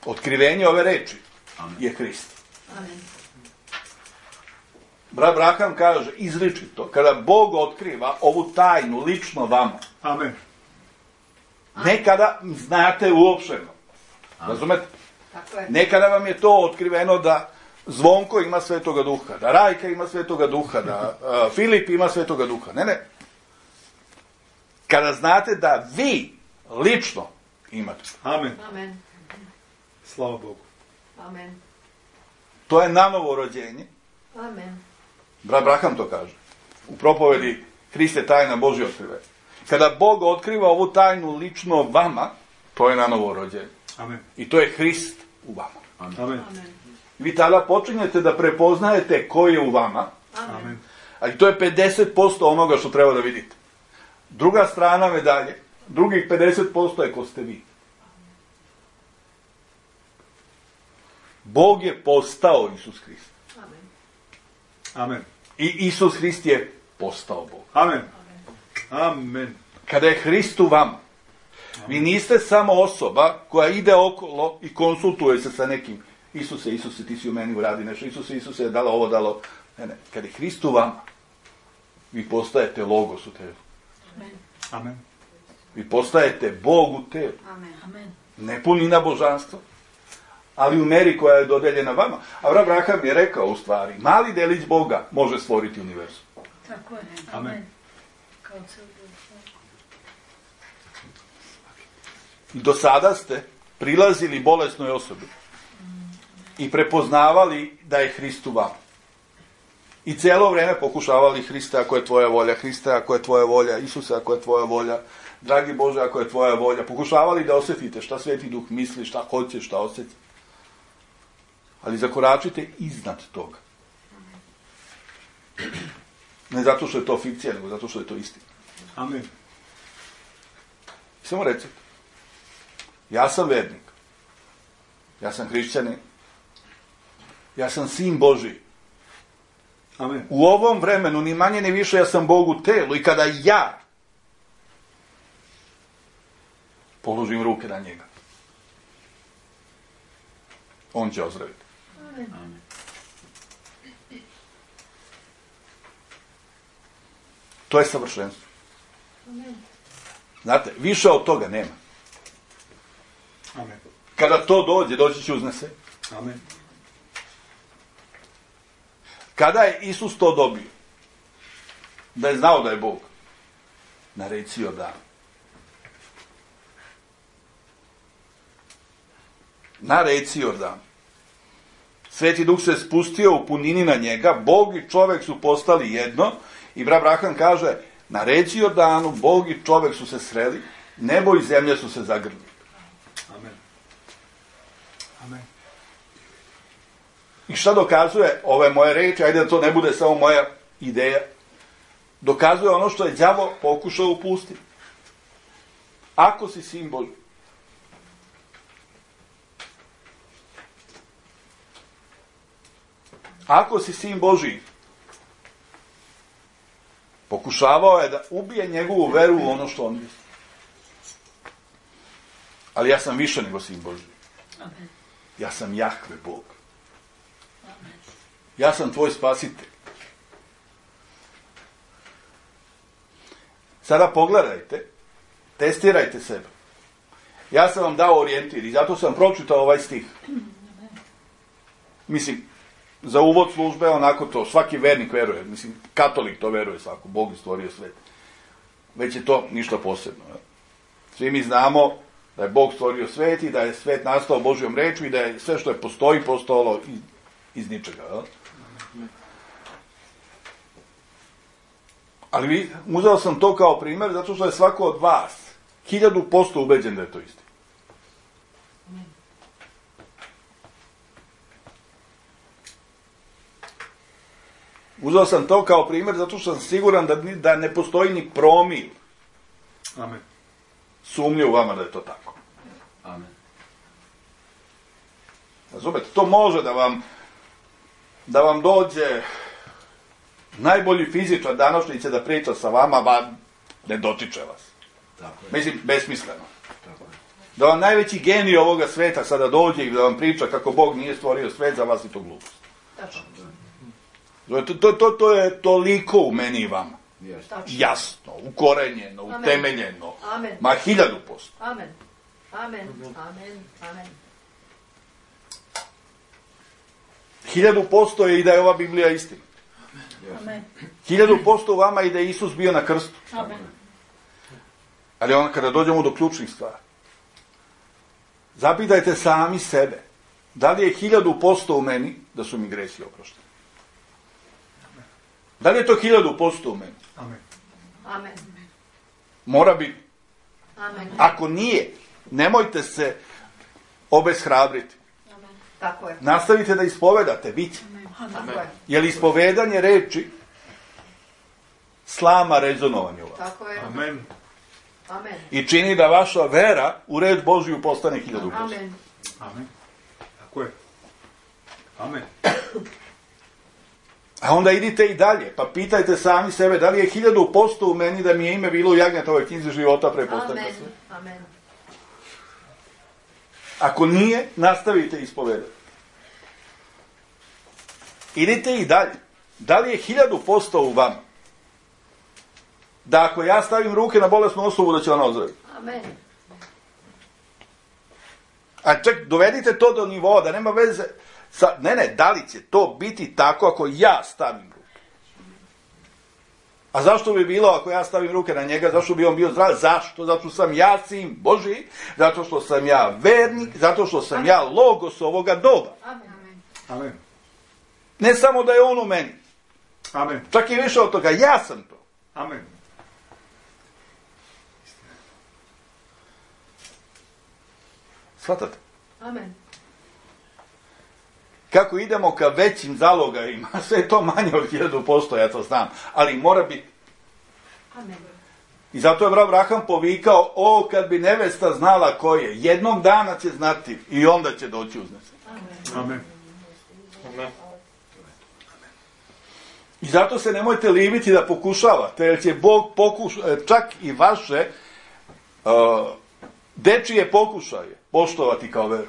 Otkrivenje ove reči Amen. je Hrist. Amen. Abraham kaže izričito, kada Bog otkriva ovu tajnu lično vama, Amen. nekada znate uopšteno. Razumete? Tako je. Nekada vam je to otkriveno da Zvonko ima Svetoga Duha, da Rajka ima Svetoga Duha, da Filip ima Svetoga Duha. Ne. Kada znate da vi lično imate. Amen. Amen. Slava Bogu. Amen. To je nanovo rođenje. Amen. Abraham to kaže. U propovedi Hriste tajna Božja otkrive. Kada Bog otkriva ovu tajnu lično vama, to je nanovo rođenje. Amen. I to je Hrist u vama. Amen. Amen. Vi tada počinjete da prepoznajete ko je u vama, Amen. ali to je 50% onoga što treba da vidite. Druga strana medalje, drugih 50% je ko ste vi. Bog je postao Isus Hrist. Amen. Amen. I Isus Hrist je postao Bog. Amen. Amen. Kada je Hrist u vama, vi niste samo osoba koja ide okolo i konsultuje se sa nekim. Isuse, ti si u meni uradi nešto. Isuse, dalo ovo, dalo. Ne. Kada je Hrist u vama, vi postajete logos u telu. Amen. Amen. Vi postajete Bog u telu. Amen. Amen. Ne punina božanstva, ali u meri koja je dodeljena vama. A Abraham je rekao u stvari, mali delić Boga može stvoriti univerzum. Tako je. Amen. Amen. Kao cijel Bog. I do sada ste prilazili bolesnoj osobi i prepoznavali da je Hrist u vama. I cijelo vrijeme pokušavali Hriste, ako je tvoja volja, Hriste, ako je tvoja volja, Isuse, ako je tvoja volja, dragi Bože, ako je tvoja volja. Pokušavali da osjetite šta Sveti Duh misli, šta hoće, šta osjeti. Ali zakoračite iznad toga. Ne zato što je to fikcija, nego zato što je to istina. Amen. Samo recite, ja sam vernik, ja sam hrišćanin, ja sam sin Božiji. Amen. U ovom vremenu, ni manje ni više, ja sam Bog u telu i kada ja položim ruke na njega, on će ozdraviti. Amen. To je savršenstvo. Amen. Znate, više od toga nema. Amen. Kada to dođe, doći će uznese. Amen. Kada je Isus to dobio, da je znao da je Bog? Na reci Jordan. Na reci Jordan. Sveti Duh se spustio u punini na njega, Bog i čovjek su postali jedno i brat Abraham kaže, na reci Jordanu, Bog i čovjek su se sreli, nebo i zemlja su se zagrlili. Amen. Amen. I šta dokazuje ove moje reči, ajde da to ne bude samo moja ideja, dokazuje ono što je đavo pokušao u pustini. Ako si sin Božji, ako si sin Božji, pokušavao je da ubije njegovu veru u ono što on misli. Ali ja sam više nego sin Božji. Amen. Ja sam Jahve Bog. Amen. Ja sam tvoj spasitelj. Sada pogledajte, testirajte sebe. Ja sam vam dao orijentir i zato sam pročitao ovaj stih. Mislim, za uvod službe, onako to, svaki vernik veruje, mislim, katolik to veruje svako, Bog je stvorio svet. Već je to ništa posebno. Ja. Svi mi znamo da je Bog stvorio svet i da je svet nastao Božjom rečju i da je sve što je postoji postalo iz ničega. Ja. Ali uzeo sam to kao primjer zato što je svako od vas 1000% ubeđen da je to isti. Uzeo sam to kao primjer zato što sam siguran da ne postoji ni promil Amen. sumnje u vama da je to tako. Amen. Razumete, to može da vam dođe najbolji fizičar današnjice da priča sa vama, ne dotiče vas. Tako je. Mislim, besmisleno. Tako je. Da vam najveći genij ovoga sveta sada dođe i da vam priča kako Bog nije stvorio svet, za vas i to glupost. Tačno. To je toliko u meni i vama. Jeste. Tačno. Jasno, ukorenjeno, Amen. utemeljeno. Amen. Ma 1000%. Amen. Amen. Amen. Amen. 1000% je i da je ova Biblija istina. Amen. 1000% u vama i da je Isus bio na krstu. Amen. Ali onda kada dođemo do ključnih stvari, zapitajte sami sebe, da li je 1000% u meni da su mi gresi oprošteni? Da li je to 1000% u meni? Amen. Amen. Mora biti. Amen. Ako nije, nemojte se obeshrabriti. Amen. Tako je. Nastavite da ispovedate, bit će. Tako je. Je li ispovedanje reči slama rezonovanje u vas? Tako je. Amen. Amen. I čini da vaša vera u reč Božiju postane 1000%. Amen. Amen. Tako je. Amen. A onda idite i dalje, pa pitajte sami sebe da li je 1000% u meni da mi je ime bilo u Jagnjetovoj knjizi života prepostavka Amen. sve. Amen. Ako nije, nastavite ispovedati. Idite i dalje. Da li je 1000% u vama? Da ako ja stavim ruke na bolesnu osobu, da će ona ozdraviti. Amen. A ček, dovedite to do nivoa, da nema veze sa... Ne, da li će to biti tako ako ja stavim ruke? A zašto bi bilo ako ja stavim ruke na njega? Zašto bi on bio zdrav? Zašto? Zato što sam ja sin Božji, zato što sam ja vernik, zato što sam ja logos ovoga doba. Amen. Amen. Ne samo da je on u meni, Amen. čak i više od toga, ja sam to. Amen. Shvatate? Amen. Kako idemo ka većim zalogajima, sve je to manje od 1000%, ja to znam, ali mora biti. Amen. I zato je Abraham povikao, o, kad bi nevesta znala ko je, jednog dana će znati i onda će doći uznesen. Amen. I zato se nemojte libiti da pokušavate, jer će Bog čak i vaše dečije pokušaje poštovati kao veru.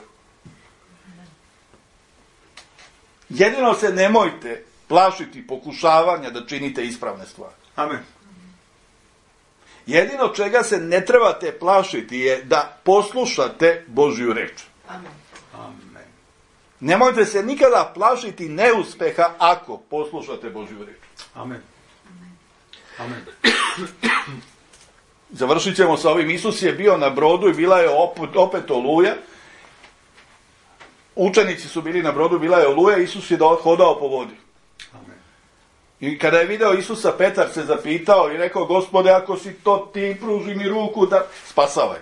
Jedino se nemojte plašiti pokušavanja da činite ispravne stvari. Amen. Jedino čega se ne trebate plašiti je da poslušate Božju reč. Amen. Amen. Nemojte se nikada plašiti neuspeha ako poslušate Božju reč. Amen. Amen. Završit ćemo sa ovim. Isus je bio na brodu i bila je opet oluja. Učenici su bili na brodu, bila je oluja, Isus je hodao po vodi. Amen. I kada je video Isusa, Petar se zapitao i rekao, Gospode, ako si to ti, pruži mi ruku da spasavaj.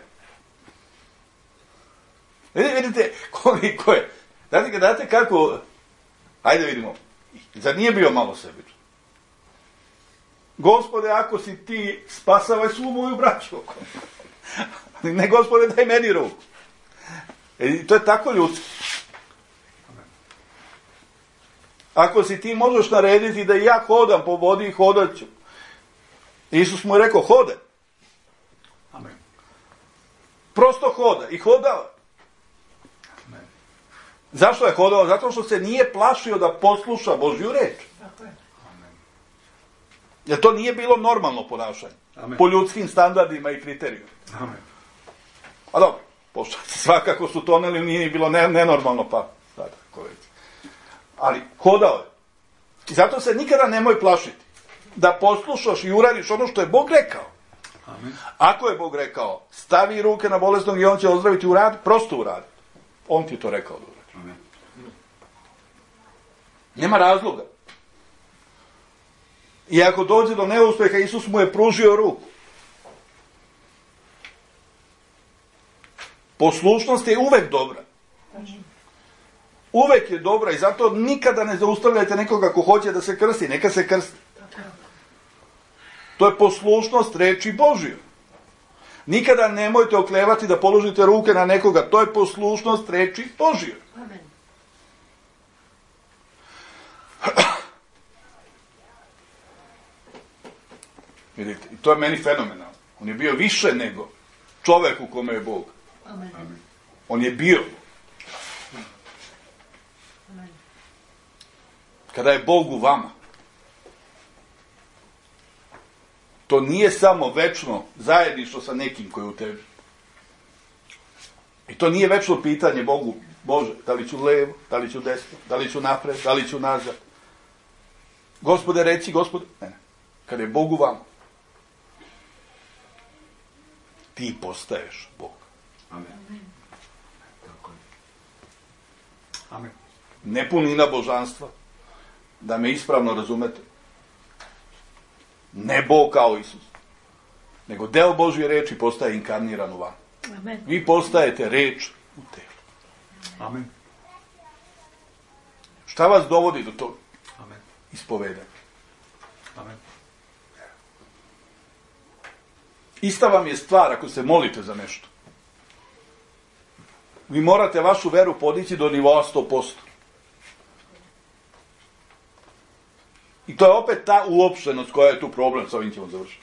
Vidite koliko je. Znate kako, ajde vidimo, zar nije bio malo sebičan? Gospode, ako si ti, spasavaj svu moju braću. Ne, Gospode, daj meni ruku. I to je tako ljudski. Ako si ti, možeš narediti da ja hodam po vodi i hodat ću. Isus mu je rekao, hodaj. Amen. Prosto hoda. I hodao. Amen. Zašto je hodao? Zato što se nije plašio da posluša Božju reč. Amen. Jer to nije bilo normalno ponašanje. Amen. Po ljudskim standardima i kriterijima. Amen. A dobro, pošto svakako su toneli, nije bilo nenormalno, pa sada, ko već. Ali hodao je. I zato se nikada nemoj plašiti da poslušaš i uradiš ono što je Bog rekao. Amen. Ako je Bog rekao, stavi ruke na bolesnog i on će ozdraviti, uradi, prosto uradi. On ti je to rekao da uradi. Amen. Nema razloga. I ako dođe do neuspeha, Isus mu je pružio ruku. Poslušnost je uvek dobra. Uvek je dobra i zato nikada ne zaustavljajte nekoga ko hoće da se krsti. Neka se krsti. To je poslušnost reči Božjoj. Nikada nemojte oklevati da položite ruke na nekoga. To je poslušnost reči Božjoj. Amen. Vidite, i to je meni fenomenalno. On je bio više nego čovek u kome je Bog. Amen. On je bio. Amen. Kada je Bog u vama, to nije samo večno zajedništvo sa nekim koji je u tebi. I to nije večno pitanje Bogu, Bože, da li ću levo, da li ću desno, da li ću napred, da li ću nazad. Gospode, reci, Gospode, ne. Kada je Bog u vama, ti postaješ Bog. Amen. Tako je. Amen. Ne punina božanstva, da me ispravno razumete. Ne Bog kao Isus, nego deo Božje reči postaje inkarniran u vama. Amen. Vi postajete reč u telu. Amen. Šta vas dovodi do toga? Amen. Ispovedanje. Amen. Ista vam je stvar ako se molite za nešto. Vi morate vašu veru podići do nivoa 100%. I to je opet ta uopštenost koja je tu problem, sa ovim ćemo završiti.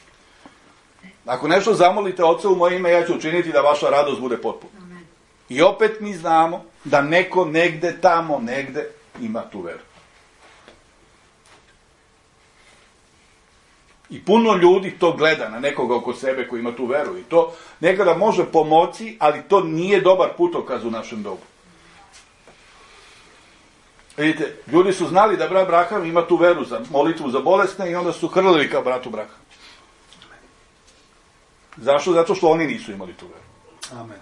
Ako nešto zamolite Oca u moje ime, ja ću učiniti da vaša radost bude potpuna. Amen. I opet mi znamo da neko negde tamo, negde ima tu veru. I puno ljudi to gleda na nekoga oko sebe koji ima tu veru. I to nekada može pomoći, ali to nije dobar putokaz u našem dobu. Vidite, ljudi su znali da brat Braham ima tu veru za molitvu za bolesne i onda su hrlili kao bratu Braham. Zašto? Zato što oni nisu imali tu veru. Amen.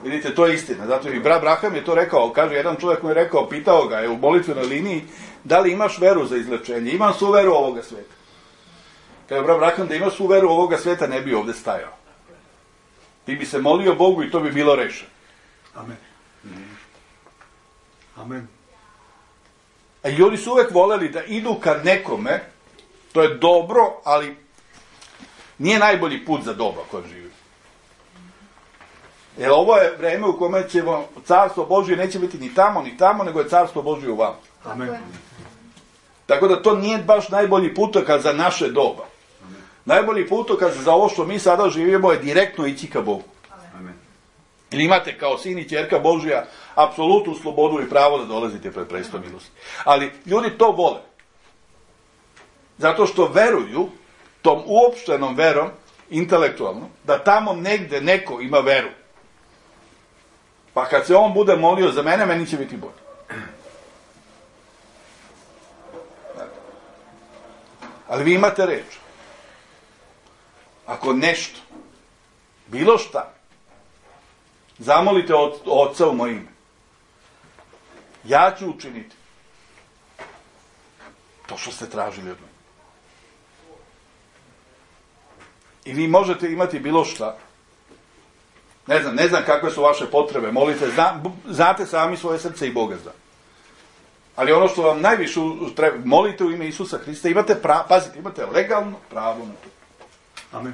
Vidite, to je istina. Zato i brat Braham je to rekao. Kaže, jedan čovjek mu je rekao, pitao ga je u molitvenoj liniji, da li imaš veru za izlečenje? Imam svu veru ovoga sveta. Kaže brat Braham, da imaš svu veru ovoga sveta, ne bi ovde stajao. Ti bi se molio Bogu i to bi bilo rešeno. Amen. Amen. A ljudi su uvek voleli da idu ka nekome, to je dobro, ali nije najbolji put za doba koje živi. Jer ovo je vreme u kome ćemo, carstvo Božje neće biti ni tamo, nego je carstvo Božje u vama. Amen. Tako da to nije baš najbolji putokaz za naše doba. Amen. Najbolji putokaz za ovo što mi sada živimo je direktno ići ka Bogu. Amen. Ili imate kao sin i ćerka Božja apsolutnu slobodu i pravo da dolazite pred presto milosti. Ali ljudi to vole. Zato što veruju tom uopštenom verom, intelektualno, da tamo negde neko ima veru. Pa kad se on bude molio za mene, meni će biti bolje. Ali vi imate reč. ako nešto, bilo šta, zamolite Oca u moje ime, ja ću učiniti to što ste tražili od mene. I vi možete imati bilo šta. Ne znam kakve su vaše potrebe, molite, znate sami svoje srce i Boga zna. Ali ono što vam najviše treba, molite u ime Isusa Hrista, pazite, imate legalno pravo na to. Amen.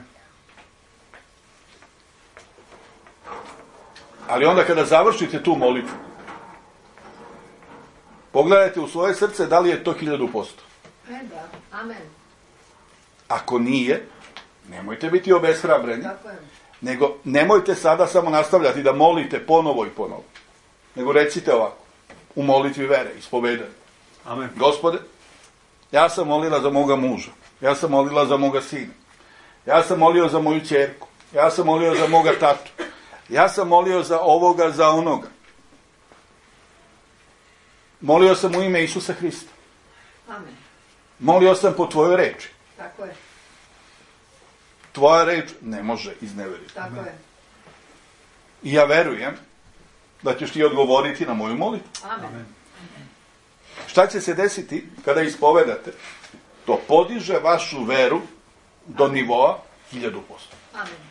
Ali onda kada završite tu molitvu, pogledajte u svoje srce da li je to 1000%. Amen. Ako nije, nemojte biti obeshrabreni, Tako je. nego nemojte sada samo nastavljati da molite ponovo i ponovo. Nego recite ovako, u molitvi vere, ispovedani. Amen. Gospode, ja sam molila za moga muža, ja sam molila za moga sina, ja sam molio za moju ćerku, ja sam molio za moga tatu, ja sam molio za ovoga, za onoga. Molio sam u ime Isusa Hrista. Amen. Molio sam po tvojoj reči. Tako je. Tvoja reč ne može izneveriti. Tako je. I ja verujem da ćeš ti odgovoriti na moju molitvu. Amen. Šta će se desiti kada ispovedate? To podiže vašu veru do nivoa 1000%. Amen.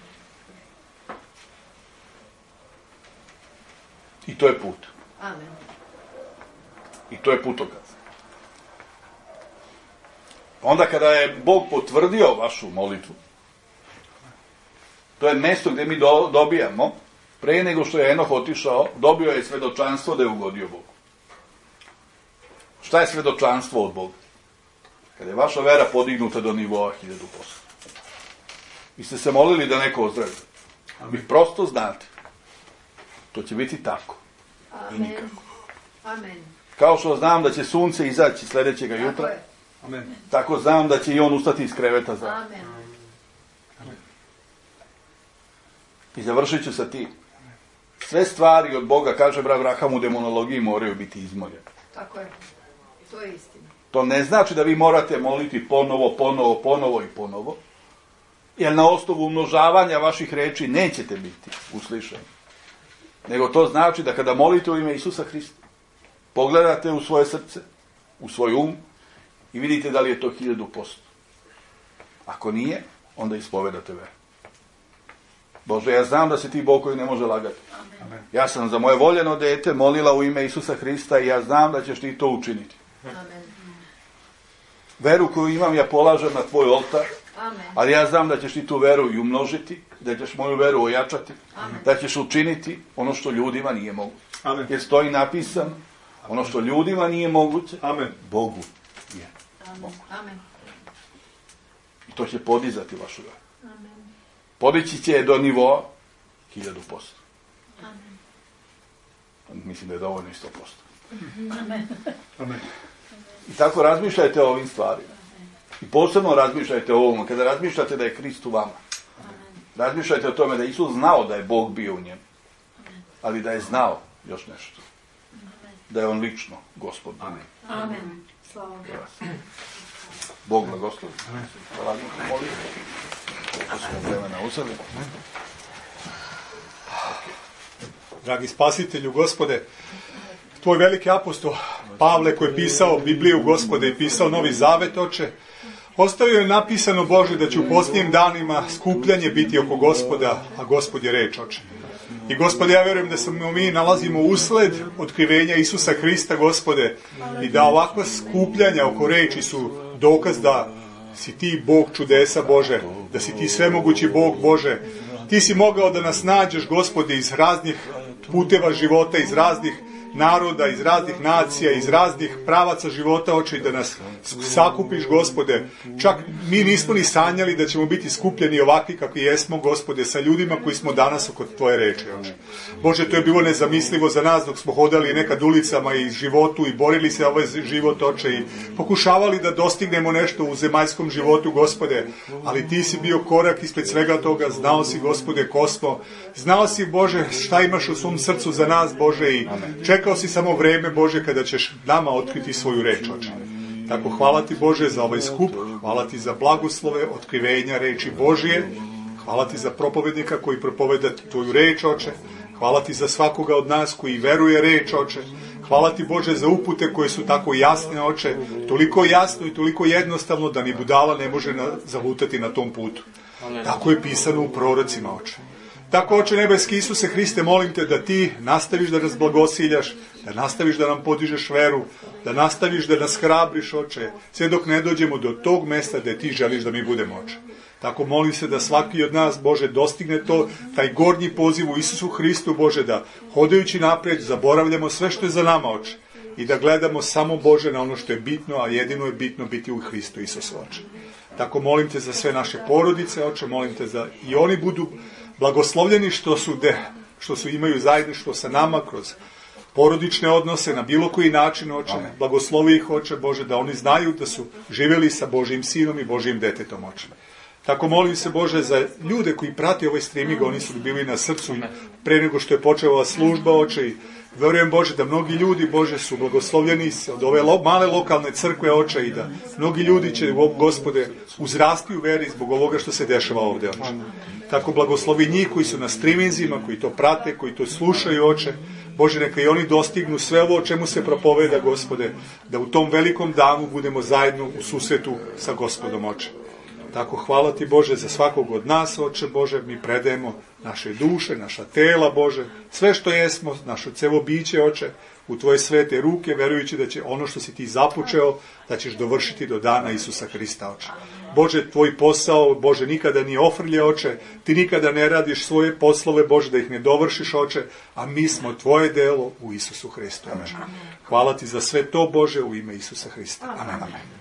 I to je put. Amen. I to je putokaz. Onda kada je Bog potvrdio vašu molitvu, to je mjesto gdje mi dobijamo, pre nego što je Enoh otišao, dobio je svedočanstvo da je ugodio Bogu. Šta je svedočanstvo od Boga? Kada je vaša vera podignuta do nivoa 1000%. Vi ste se molili da neko ozdravi. Vi prosto znate. To će biti tako. I Amen. nikako. Amen. Kao što znam da će sunce izaći sljedećega Tako jutra, je. Amen. tako znam da će i on ustati iz kreveta za. Amen. I završit ću sa tim. Sve stvari od Boga, kaže Abraham u demonologiji, moraju biti izmoljene. Tako je. To je istina. To ne znači da vi morate moliti ponovo i ponovo, jer na osnovu umnožavanja vaših reči nećete biti uslišeni. Nego to znači da kada molite u ime Isusa Hrista, pogledate u svoje srce, u svoj um i vidite da li je to 1000%. Ako nije, onda ispovedate veru. Bože, ja znam da si ti Bog koji ne može lagati. Amen. Ja sam za moje voljeno dete molila u ime Isusa Hrista i ja znam da ćeš ti to učiniti. Amen. Veru koju imam ja polažem na tvoj oltar, Amen. ali ja znam da ćeš ti tu veru i umnožiti, da ćeš moju veru ojačati, Amen. da ćeš učiniti ono što ljudima nije moguće. Amen. Jer stoji napisano, ono što ljudima nije moguće, Amen. Bogu je. Amen. Amen. I to će podizati vašu veru. Amen. Podići će je do nivoa 1000%. Amen. Mislim da je dovoljno i 100%. Amen. I tako razmišljajte o ovim stvarima. I posebno razmišljajte o ovom. Kada razmišljate da je Krist u vama, razmišljajte o tome da je Isus znao da je Bog bio u njemu. Ali da je znao još nešto. Da je on lično Gospod. Amen. Amen. Slava Bogu. Bog blagoslovi. Hvala molim. Koliko smo vremena uzeli. Dragi spasitelju, Gospode, tvoj veliki apostol Pavle koji je pisao Bibliju, Gospode, i pisao Novi Zavet, Oče, ostavio je napisano, Bože, da će u posljednjim danima skupljanje biti oko Gospoda, a Gospod je reč, Oče. I Gospode, ja vjerujem da se mi nalazimo usled otkrivenja Isusa Hrista, Gospode, i da ovakva skupljanja oko reči su dokaz da si ti Bog čudesa, Bože, da si ti svemogući Bog, Bože. Ti si mogao da nas nađeš, Gospode, iz raznih puteva života, iz raznih naroda, iz raznih nacija, iz raznih pravaca života, Oče, i da nas sakupiš, Gospode. Čak mi nismo ni sanjali da ćemo biti skupljeni ovakvi kakvi jesmo, Gospode, sa ljudima koji smo danas oko tvoje reči, Oče. Bože, to je bilo nezamislivo za nas dok smo hodali nekad ulicama i životu i borili se ovaj život, Oče, i pokušavali da dostignemo nešto u zemaljskom životu, Gospode, ali ti si bio korak ispred svega toga, znao si, Gospode, ko smo, znao si, Bože, šta imaš u svom srcu za nas, Bože, i čekao si samo vreme, Bože, kada ćeš nama otkriti svoju reč, Oče. Tako hvala ti, Bože, za ovaj skup, hvala ti za blagoslove, otkrivenja reči Božije, Hvala ti za propovednika koji propoveda tvoju reč, Oče. Hvala ti za svakoga od nas koji veruje reč, Oče. Hvala ti, Bože, za upute koje su tako jasne, Oče. Toliko jasno i toliko jednostavno da ni budala ne može zalutati na tom putu. Tako je pisano u prorocima, Oče. Tako, Oče nebeski Isuse Hriste, molim te da ti nastaviš da nas blagosiljaš, da nastaviš da nam podižeš veru, da nastaviš da nas hrabriš, Oče, sve dok ne dođemo do tog mesta gde ti želiš da mi budemo, Oče. Tako molim se da svaki od nas, Bože, dostigne to, taj gornji poziv u Isusu Hristu, Bože, da hodajući naprijed zaboravljamo sve što je za nama, Oče, i da gledamo samo, Bože, na ono što je bitno, a jedino je bitno biti u Hristu Isusu, Oče. Tako molim te za sve naše porodice, Oče, molim te da i oni budu blagoslovljeni što su imaju zajedništvo sa nama kroz porodične odnose na bilo koji način, Oče. Blagoslovi ih, Oče, Bože, da oni znaju da su živjeli sa Božjim sinom i Božjim detetom, Oče. Tako molim se, Bože, za ljude koji prate ovaj streaming, oni su bili na srcu pre nego što je počela ova služba, Oče, i verujem, Bože, da mnogi ljudi, Bože, su blagoslovljeni od ove male lokalne crkve, Oče, i da mnogi ljudi će, Gospode, uzrasti u veri zbog ovoga što se dešava ovdje, Oče. Tako blagoslovi njih koji su na streaminzima, koji to prate, koji to slušaju, Oče. Bože, neka i oni dostignu sve ovo o čemu se propoveda, Gospode, da u tom velikom danu budemo zajedno u susretu sa Gospodom, Oče. Tako hvala ti, Bože, za svakog od nas, Oče, Bože, mi predajemo naše duše, naša tela, Bože, sve što jesmo, naše celo biće, Oče, u tvoje svete ruke, verujući da će ono što si ti započeo, da ćeš dovršiti do dana Isusa Hrista, Oče. Bože, tvoj posao, Bože, nikada nije ofrlje, Oče, ti nikada ne radiš svoje poslove, Bože, da ih ne dovršiš, Oče, a mi smo tvoje delo u Isusu Hristu, Oče. Hvala ti za sve to, Bože, u ime Isusa Hrista. Amen.